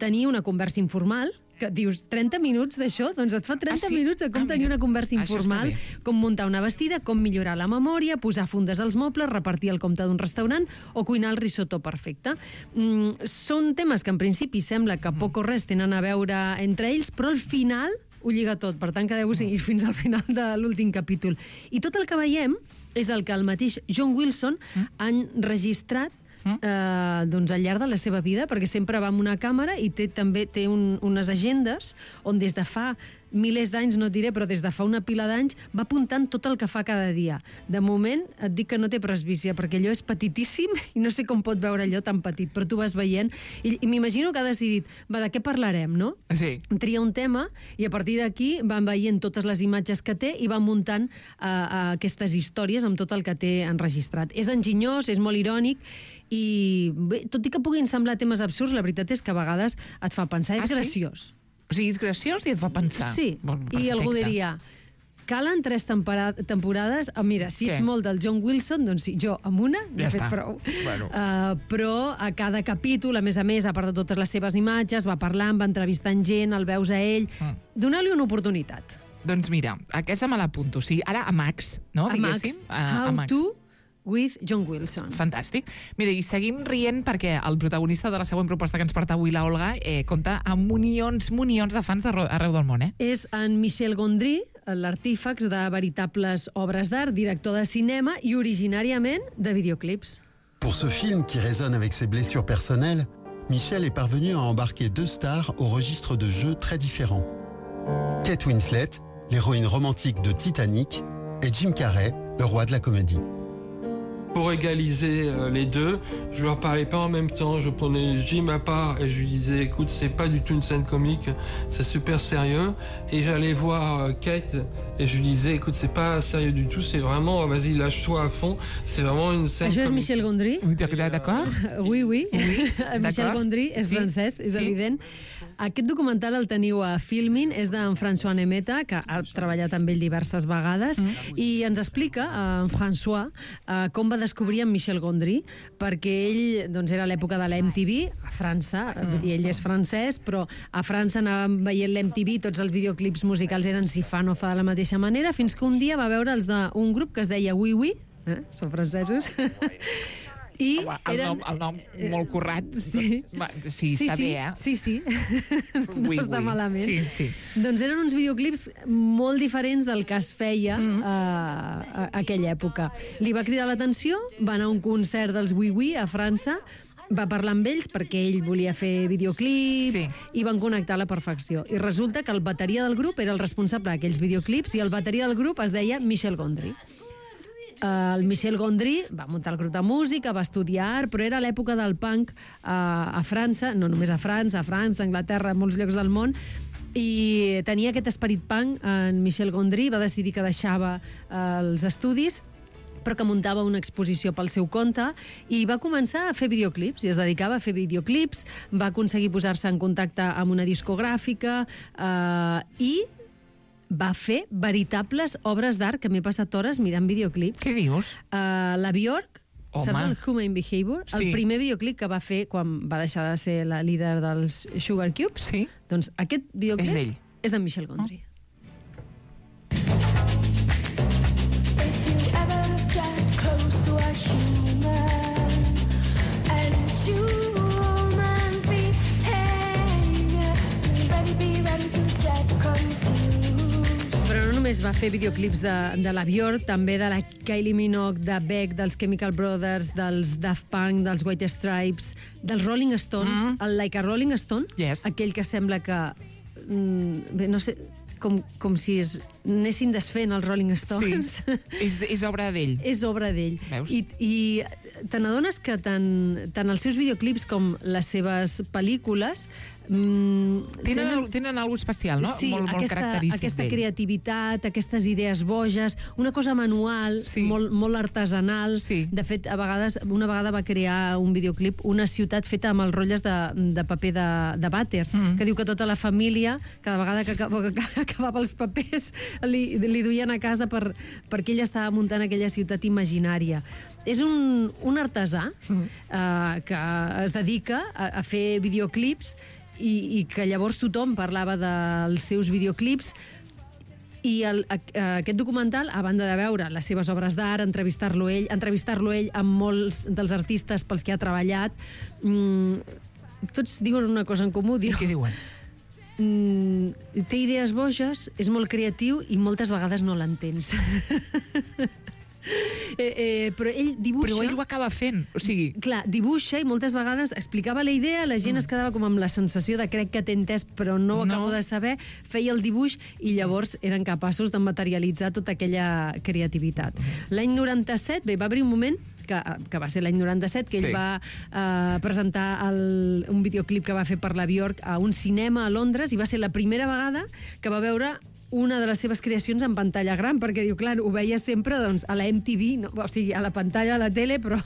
S11: tenir una conversa informal, que dius 30 minuts d'això, doncs et fa 30 minuts de com tenir una conversa informal, com muntar una vestida, com millorar la memòria, posar fundes als mobles, repartir el compte d'un restaurant o cuinar el risotto perfecte. Són temes que en principi sembla que poc o res tenen a veure entre ells, però al final ho lliga tot, per tant quedeu-vos fins al final de l'últim capítol. I tot el que veiem és el que el mateix John Wilson ha enregistrat doncs al llarg de la seva vida, perquè sempre va amb una càmera i també té unes agendes on des de fa milers d'anys, no et diré, però des de fa una pila d'anys va apuntant tot el que fa cada dia. De moment et dic que no té presbícia, perquè allò és petitíssim i no sé com pot veure allò tan petit, però tu vas veient i m'imagino que ha decidit, de què parlarem, no?
S7: Sí.
S11: Tria un tema i a partir d'aquí van veient totes les imatges que té i van muntant aquestes històries amb tot el que té enregistrat. És enginyós, és molt irònic i bé, tot i que puguin semblar temes absurds, la veritat és que a vegades et fa pensar, és graciós.
S7: O sigui, és graciós i et fa pensar.
S11: Sí, i algú diria, calen 3 temporades. Mira, si ets molt del John Wilson, doncs sí, jo amb una ja he fet prou. Però a cada capítol, a més, a part de totes les seves imatges, va parlant, va entrevistant gent, el veus a ell. Donar-li una oportunitat.
S7: Doncs mira, aquesta me l'apunto. O sigui, ara a Max, no?
S11: A Max. How to with John Wilson.
S7: Fantàstic. Mira, i seguim rient perquè el protagonista de la següent proposta que ens porta avui la Olga compta amb milions de fans arreu del món,
S11: És en Michel Gondry, l'artífex de veritables obres d'art, director de cinema i originàriament de videoclips.
S14: Pour ce film qui résonne avec ses blessures personnelles, Michel est parvenu à embarquer 2 stars au registre de jeux très différents. Kate Winslet, l'héroïne romantique de Titanic, et Jim Carrey, le roi de la comédie.
S15: Pour égaliser les deux, je leur parlais pas en même temps, je prenais Jim à part et je lui disais écoute, c'est pas du tout une scène comique, c'est super sérieux, et j'allais voir Kate et je lui disais écoute, c'est pas sérieux du tout, c'est vraiment vas-y, lâche-toi à fond, c'est vraiment une scène
S11: Això és
S15: comique.
S11: Michel Gondry.
S7: D'acord?
S11: Oui. Michel Gondry és francès, és evident. Aquest documental el teniu a Filmin, és d'en François Nemeta, que ha treballat amb ell diverses vegades, i ens explica, en François, com va descobrir en Michel Gondry, perquè ell doncs, era a l'època de la MTV, a França, vull dir, ell és francès, però a França anàvem veient l'MTV, tots els videoclips musicals eren si fa no fa de la mateixa manera, fins que un dia va veure els d'un grup que es deia Oui Oui, són francesos, i
S7: el nom molt currat.
S11: Sí,
S7: està bé,
S11: Sí. No està malament.
S7: Sí.
S11: Doncs eren uns videoclips molt diferents del que es feia a aquella època. Li va cridar l'atenció, va anar a un concert dels Oui Oui a França, va parlar amb ells perquè ell volia fer videoclips i van connectar a la perfecció. I resulta que el bateria del grup era el responsable d'aquells videoclips i el bateria del grup es deia Michel Gondry. El Michel Gondry va muntar el grup de música, va estudiar art, però era l'època del punk a França, no només a França, Anglaterra, a molts llocs del món, i tenia aquest esperit punk en Michel Gondry, va decidir que deixava els estudis, però que muntava una exposició pel seu compte i va començar a fer videoclips i es dedicava a fer videoclips, va aconseguir posar-se en contacte amb una discogràfica i va fer veritables obres d'art que m'he passat hores mirant videoclips.
S7: Què dius?
S11: La Björk, saps el Human Behavior?
S7: Sí.
S11: El primer videoclip que va fer quan va deixar de ser la líder dels Sugar Cubes.
S7: Sí.
S11: Doncs aquest videoclip
S7: és d'ell.
S11: És d'en Michel Gondry. Només va fer videoclips de la Björk, també de la Kylie Minogue, de Beck, dels Chemical Brothers, dels Daft Punk, dels White Stripes, dels Rolling Stones, el Like a Rolling Stone, aquell que sembla que, no sé, com si anessin desfent els Rolling Stones.
S7: Sí, és obra d'ell.
S11: És obra d'ell. I te n'adones que tant els seus videoclips com les seves pel·lícules
S7: tenen alguna especial, no?
S11: Sí,
S7: molt característic
S11: aquesta
S7: d'ell.
S11: creativitat, aquestes idees boges, una cosa manual, molt artesanal. De fet, una vegada va crear un videoclip, una ciutat feta amb els rotlles de paper de vàter, que diu que tota la família, cada vegada que acabava els papers, li duien a casa perquè ell estava muntant aquella ciutat imaginària. És un artesà que es dedica a fer videoclips i que llavors tothom parlava dels seus videoclips i aquest documental, a banda de veure les seves obres d'art, entrevistar-lo ell amb molts dels artistes pels que ha treballat, tots diuen una cosa en comú.
S7: Què diuen?
S11: Té idees boges, és molt creatiu i moltes vegades no l'entens. Però ell dibuixa...
S7: Però ell ho acaba fent, o sigui...
S11: Clar, dibuixa i moltes vegades explicava la idea, la gent es quedava com amb la sensació de crec que t'he entès però no ho acabo de saber, feia el dibuix i llavors eren capaços de materialitzar tota aquella creativitat. L'any 97, va haver un moment que va ser l'any 97, que ell va presentar un videoclip que va fer per la Björk a un cinema a Londres i va ser la primera vegada que va veure una de les seves creacions en pantalla gran, perquè diu, clar, ho veia sempre a la MTV, o sigui, a la pantalla de la tele, però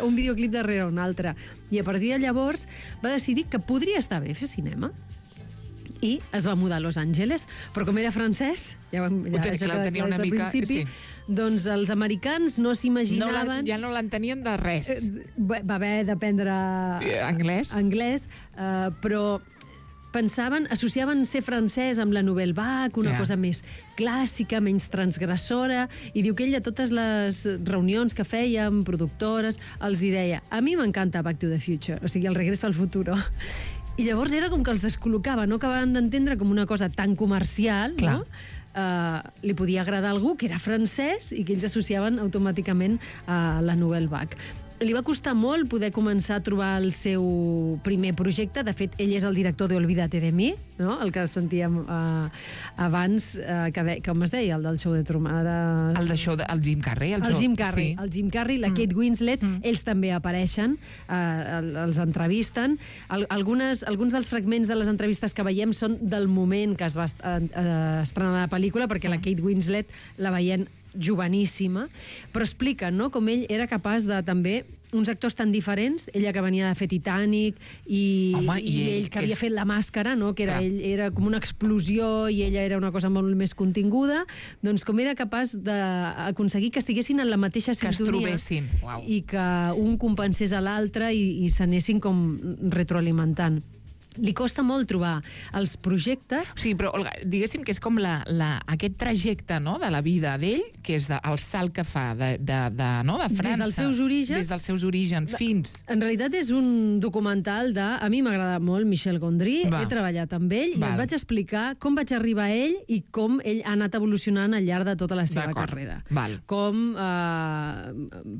S11: un videoclip darrere un altre. I a partir de llavors va decidir que podria estar bé fer cinema i es va mudar a Los Angeles, però com era francès, ja tenia una mica, doncs els americans no s'imaginaven...
S7: Ja no l'entenien de res.
S11: Va haver d'aprendre
S7: anglès,
S11: però associaven ser francès amb la Nouvelle Vague, una cosa més clàssica, menys transgressora, i diu que ell a totes les reunions que fèiem, productores, els hi deia, a mi m'encanta Back to the Future, o sigui, el regreso al futuro. I llavors era com que els descol·locava, no acabaven d'entendre com una cosa tan comercial, no? Li podia agradar a algú que era francès i que ells associaven automàticament a la Nouvelle Vague. Li va costar molt poder començar a trobar el seu primer projecte. De fet, ell és el director de Olvídate de mi, no? El que sentíem abans, com es deia, el del show de Truman.
S7: El Jim Carrey.
S11: El Jim Carrey, la Kate Winslet, ells també apareixen, els entrevisten. Alguns dels fragments de les entrevistes que veiem són del moment que es va estrenar la pel·lícula, perquè la Kate Winslet la veiem joveníssima, però expliquen, no?, com ell era capaç de també uns actors tan diferents, ella que venia de fer Titanic i ell que havia fet La Màscara, no?, que ell era com una explosió i ella era una cosa molt més continguda, doncs com era capaç d'aconseguir que estiguessin en la mateixa sintonia,
S7: que es trobessin,
S11: i que un compensés a l'altre i s'anessin com retroalimentant. Li costa molt trobar els projectes.
S7: Sí, però, Olga, diguéssim que és com aquest trajecte, no?, de la vida d'ell, que és el salt que fa de França.
S11: Des dels seus orígens.
S7: Fins...
S11: En realitat és un documental de... A mi m'agrada molt Michel Gondry, he treballat amb ell i em vaig explicar com vaig arribar a ell i com ell ha anat evolucionant al llarg de tota la seva carrera. Com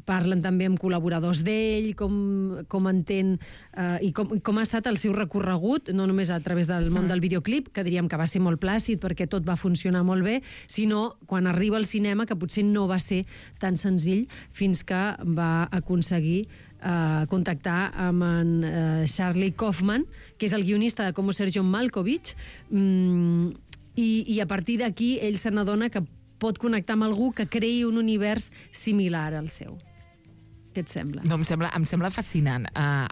S11: parlen també amb col·laboradors d'ell, com entén i com ha estat el seu recorregut, no només a través del món del videoclip, que diríem que va ser molt plàcid perquè tot va funcionar molt bé, sinó quan arriba al cinema, que potser no va ser tan senzill fins que va aconseguir contactar amb en Charlie Kaufman, que és el guionista de Como ser John Malkovich, i a partir d'aquí ell se n'adona que pot connectar amb algú que creï un univers similar al seu. Què et sembla?
S7: No, em sembla fascinant.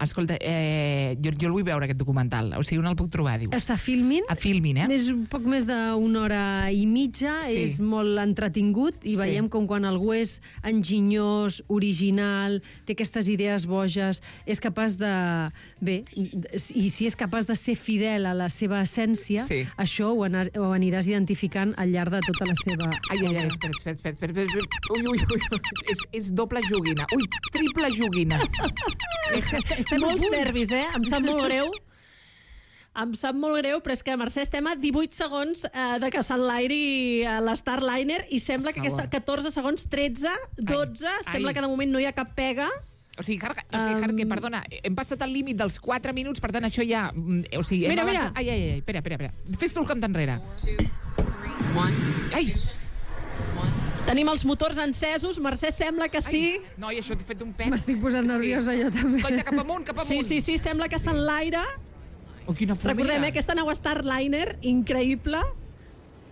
S7: Escolta, jo el vull veure, aquest documental. O sigui, on el puc trobar, dius?
S11: Està a Filmin.
S7: A Filmin,
S11: És un poc més d'una hora i mitja, és molt entretingut, i veiem com quan algú és enginyós, original, té aquestes idees boges, és capaç de... Bé, i si és capaç de ser fidel a la seva essència, això ho aniràs identificant al llarg de tota la seva...
S7: Espera. Ui, és doble joguina. Ui, triple joguina.
S12: Molts nervis, em sap molt greu. Em sap molt greu, però és que, Mercè, estem a 18 segons de que s'enlairi l'Starliner i sembla que aquesta 14 segons, 13, 12, sembla que de moment no hi ha cap pega.
S7: O sigui, que, perdona, hem passat el límit dels 4 minuts, per tant, això ja...
S12: Mira.
S7: Espera. Fes tu el camp enrere. Ai!
S12: Tenim els motors encesos, Mercè, sembla que sí.
S7: Noi, això t'he fet un pet.
S11: M'estic posant nerviosa jo també.
S7: Coita, cap amunt.
S12: Sí, sembla que s'enlaira.
S7: Quina fumera.
S12: Recordem, aquesta nau Starliner, increïble.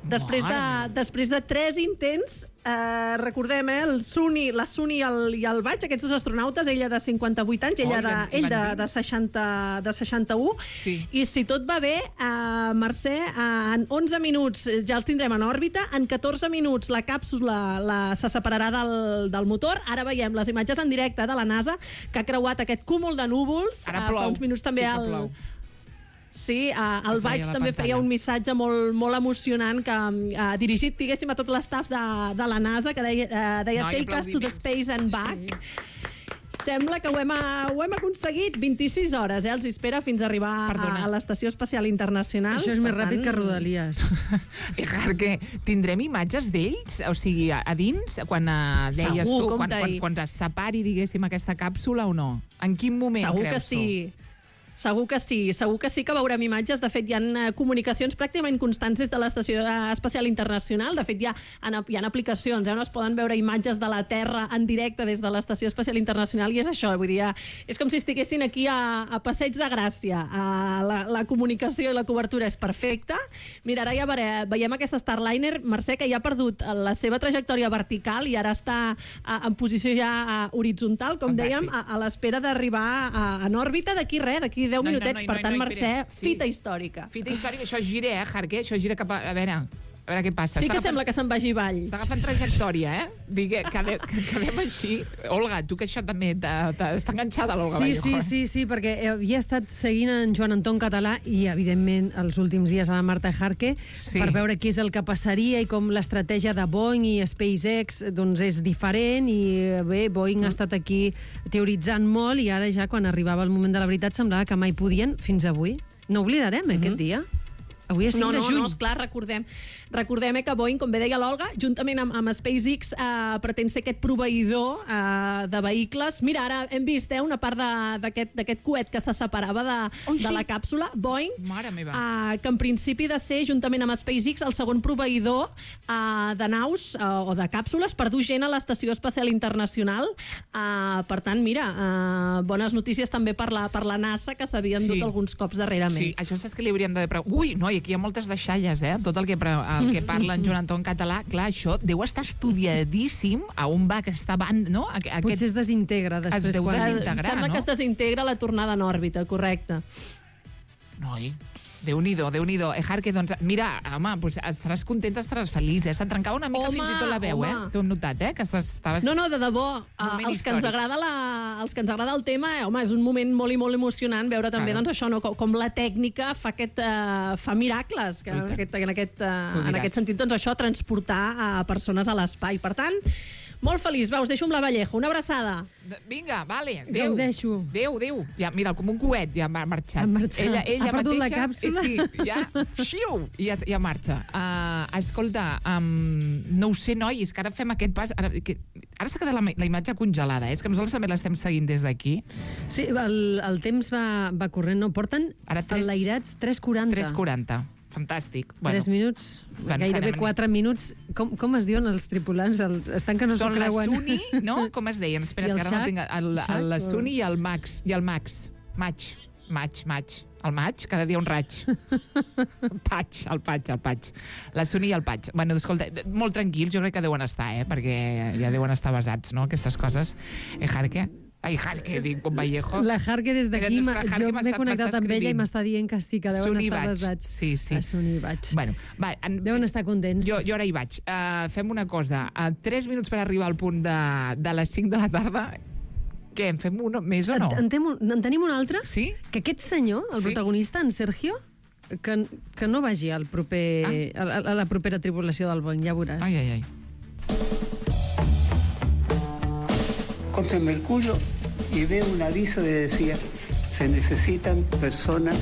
S12: Després de 3 intents, recordem, la Suni i el Vaig, aquests dos astronautes, ella de 58 anys, ell de 61, i si tot va bé, Mercè, en 11 minuts ja els tindrem en òrbita, en 14 minuts la càpsula se separarà del motor. Ara veiem les imatges en directe de la NASA, que ha creuat aquest cúmul de núvols.
S7: Ara plou.
S12: Fa uns minuts també Sí, el Vaig també feia un missatge molt emocionant que dirigit, diguéssim, a tot l'estaf de la NASA, que deia Take us to the space and back. Sembla que ho hem aconseguit. 26 hores, els espera fins a arribar a l'Estació Espacial Internacional.
S11: Això és més ràpid que Rodalies.
S7: Perquè tindrem imatges d'ells? O sigui, a dins, quan deies tu, quan es separi, diguéssim, aquesta càpsula o no? En quin moment creus tu?
S12: Segur que sí que veurem imatges. De fet, hi ha comunicacions pràcticament constants des de l'Estació Espacial Internacional. De fet, hi ha aplicacions on es poden veure imatges de la Terra en directe des de l'Estació Espacial Internacional, i és això, vull dir, és com si estiguessin aquí a Passeig de Gràcia. La comunicació i la cobertura és perfecta. Mira, ara ja veiem aquesta Starliner, Mercè, que ja ha perdut la seva trajectòria vertical i ara està en posició ja horitzontal, com dèiem, a l'espera d'arribar en òrbita d'aquí 10 minutets. Per tant, Mercè, fita històrica.
S7: Fita històrica, això gira, Jarque, això gira cap a... A veure... A veure què passa.
S12: Sí que sembla que se'n vagi avall.
S7: Està agafant trajectòria, quedem així. Olga, tu que això també està enganxada, l'Olga Vallejo.
S11: Sí, perquè havia estat seguint en Joan Anton Català i, evidentment, els últims dies a la Marta Ejarque per veure què és el que passaria i com l'estratègia de Boeing i SpaceX doncs és diferent i bé, Boeing ha estat aquí teoritzant molt i ara ja quan arribava el moment de la veritat semblava que mai podien fins avui. No oblidarem aquest dia. Avui és 5 de juny.
S12: No, esclar, recordem que Boeing, com bé deia l'Olga, juntament amb SpaceX, pretén ser aquest proveïdor de vehicles. Mira, ara hem vist una part d'aquest coet que se separava de la càpsula. Boeing, que en principi ha de ser, juntament amb SpaceX, el segon proveïdor de naus o de càpsules per dur gent a l'Estació Espacial Internacional. Per tant, mira, bones notícies també per la NASA, que s'havien dut alguns cops darrerament.
S7: Sí, això saps que li hauríem de... Ui, no, i aquí hi ha moltes deixalles, tot el que parla en Joan Anton Català. Clar, això deu estar estudiadíssim a on va aquesta banda, no?
S11: Potser es desintegra després.
S7: Es deu desintegrar,
S12: Sembla que es desintegra la tornada en òrbita, correcte.
S7: Noi, Déu-n'hi-do. Ejarque, doncs, mira, home, doncs estaràs contenta, estaràs feliç, Se't trencava una mica fins i tot la veu, T'ho hem notat, que estaves...
S12: No, de debò. Els que ens agrada el tema, home, és un moment molt i molt emocionant veure també, doncs, això, com la tècnica fa miracles, que en aquest sentit, doncs, això, transportar a persones a l'espai. Per tant, molt feliç. Va, us deixo amb la Vallejo. Una abraçada.
S7: Vinga, vale.
S11: Ho deixo.
S7: Adéu. Ja, mira, com un coet, ja ha marxat. Ella
S11: ha perdut la càpsula?
S7: Sí, ja marxa. Escolta, no ho sé, nois, que ara fem aquest pas... Ara s'ha quedat la imatge congelada, és que nosaltres també l'estem seguint des d'aquí.
S11: Sí, el temps va corrent, no? Porten enlairats 3:40.
S7: 3:40. Fantàstic.
S11: 3 minuts, gairebé 4 minuts. Com es diuen els tripulants? Estan que no s'ho creuen.
S7: Són la Suni, no? Com es deien? Espera, que ara no tinc... La Suni i el Max. Maig. El maig, cada dia un raig. El Patx. La Suni i el Patx. Bueno, escolta, molt tranquils, jo crec que deuen estar, perquè ja deuen estar basats, no?, aquestes coses. Ejarque, dic, com Vallejo.
S11: La Jarque des d'aquí, jo m'he connectat amb ella i m'està dient que sí, que deuen estar basats.
S7: Sí.
S11: A Suni i vaig.
S7: Bueno,
S11: deuen estar contents.
S7: Jo ara hi vaig. Fem una cosa. 3 minuts per arribar al punt de les 5 de la tarda. Què, en fem un més o no?
S11: En tenim un altre?
S7: Sí?
S11: Que aquest senyor, el protagonista, en Sergio, que no vagi a la propera tripulació del Boeing, ja veuràs.
S7: Ai.
S16: Contra el Mercurio y veo un aviso que decía: se necesitan personas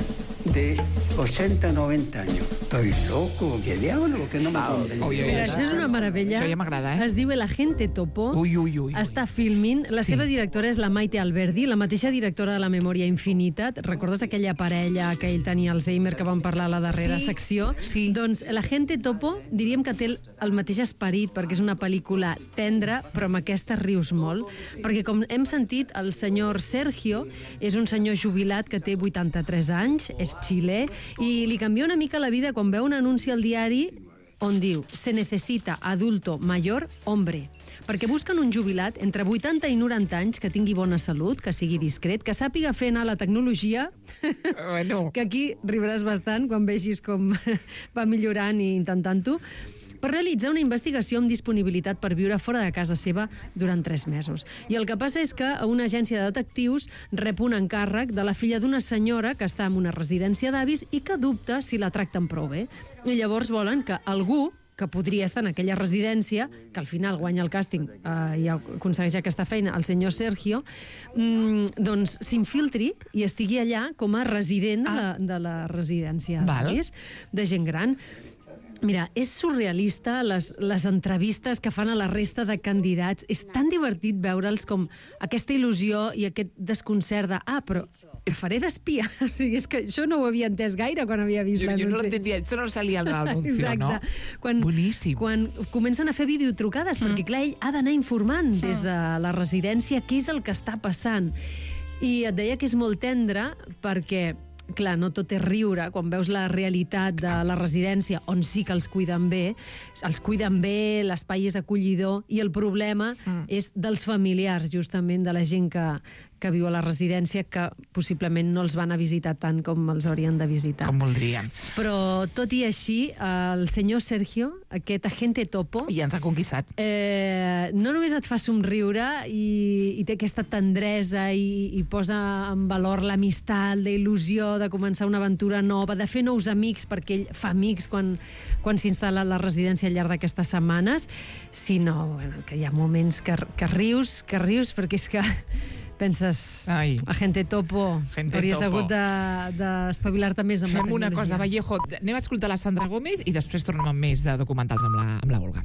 S16: de 80 90 años. Estoy loco, ¿qué diablo? ¿Por qué no me convenció?
S11: Mira, això és una meravella.
S7: Això ja m'agrada,
S11: Es diu El Agente Topo.
S7: Ui.
S11: Està filmint. La seva directora és la Maite Alberdi, la mateixa directora de La Memòria Infinita. Recordes aquella parella que ell tenia Alzheimer que vam parlar a la darrera secció?
S7: Sí.
S11: Doncs El Agente Topo diríem que té el mateix esperit, perquè és una pel·lícula tendra, però amb aquesta rius molt. Perquè, com hem sentit, el senyor Sergio és un senyor jubilat que té 83 anys, és xilè, i li canvia una mica la vida quan veu un anunci al diari on diu: se necesita adulto mayor hombre. Perquè busquen un jubilat entre 80 i 90 anys que tingui bona salut, que sigui discret, que sàpiga fer anar la tecnologia, que aquí riuràs bastant quan vegis com va millorant i intentant-ho, per realitzar una investigació amb disponibilitat per viure fora de casa seva durant 3 mesos. I el que passa és que una agència de detectius rep un encàrrec de la filla d'una senyora que està en una residència d'avis i que dubta si la tracten prou bé. I llavors volen que algú que podria estar en aquella residència, que al final guanya el càsting i aconsegueix aquesta feina, el senyor Sergio, doncs s'infiltri i estigui allà com a resident de la residència d'avis, de gent gran. Mira, és surrealista les entrevistes que fan a la resta de candidats. És tan divertit veure'ls com aquesta il·lusió i aquest desconcert de però el faré d'espia. O sigui, és que això no ho havia entès gaire quan havia vist l'anunci.
S7: Jo no l'entendia, això no salia en l'anunci, no?
S11: Boníssim. Quan comencen a fer videotrucades, perquè clar, ell ha d'anar informant des de la residència què és el que està passant. I et deia que és molt tendre perquè clar, no tot és riure, quan veus la realitat de la residència, on sí que els cuiden bé, l'espai és acollidor, i el problema és dels familiars, justament, de la gent que que viu a la residència, que possiblement no els van a visitar tant com els haurien de visitar.
S7: Com voldrien.
S11: Però, tot i així, el senyor Sergio, aquest agente topo...
S7: Ja ens ha conquistat.
S11: No només et fa somriure i té aquesta tendresa i posa en valor l'amistat, la il·lusió de començar una aventura nova, de fer nous amics, perquè ell fa amics quan s'instal·la a la residència al llarg d'aquestes setmanes, sinó que hi ha moments que rius, perquè és que penses, agente topo, hauries hagut d'espavilar-te més amb la tecnologia.
S7: Fem una cosa, Vallejo, anem a escoltar la Sandra Gómez i després tornem amb més de documentals amb la Olga.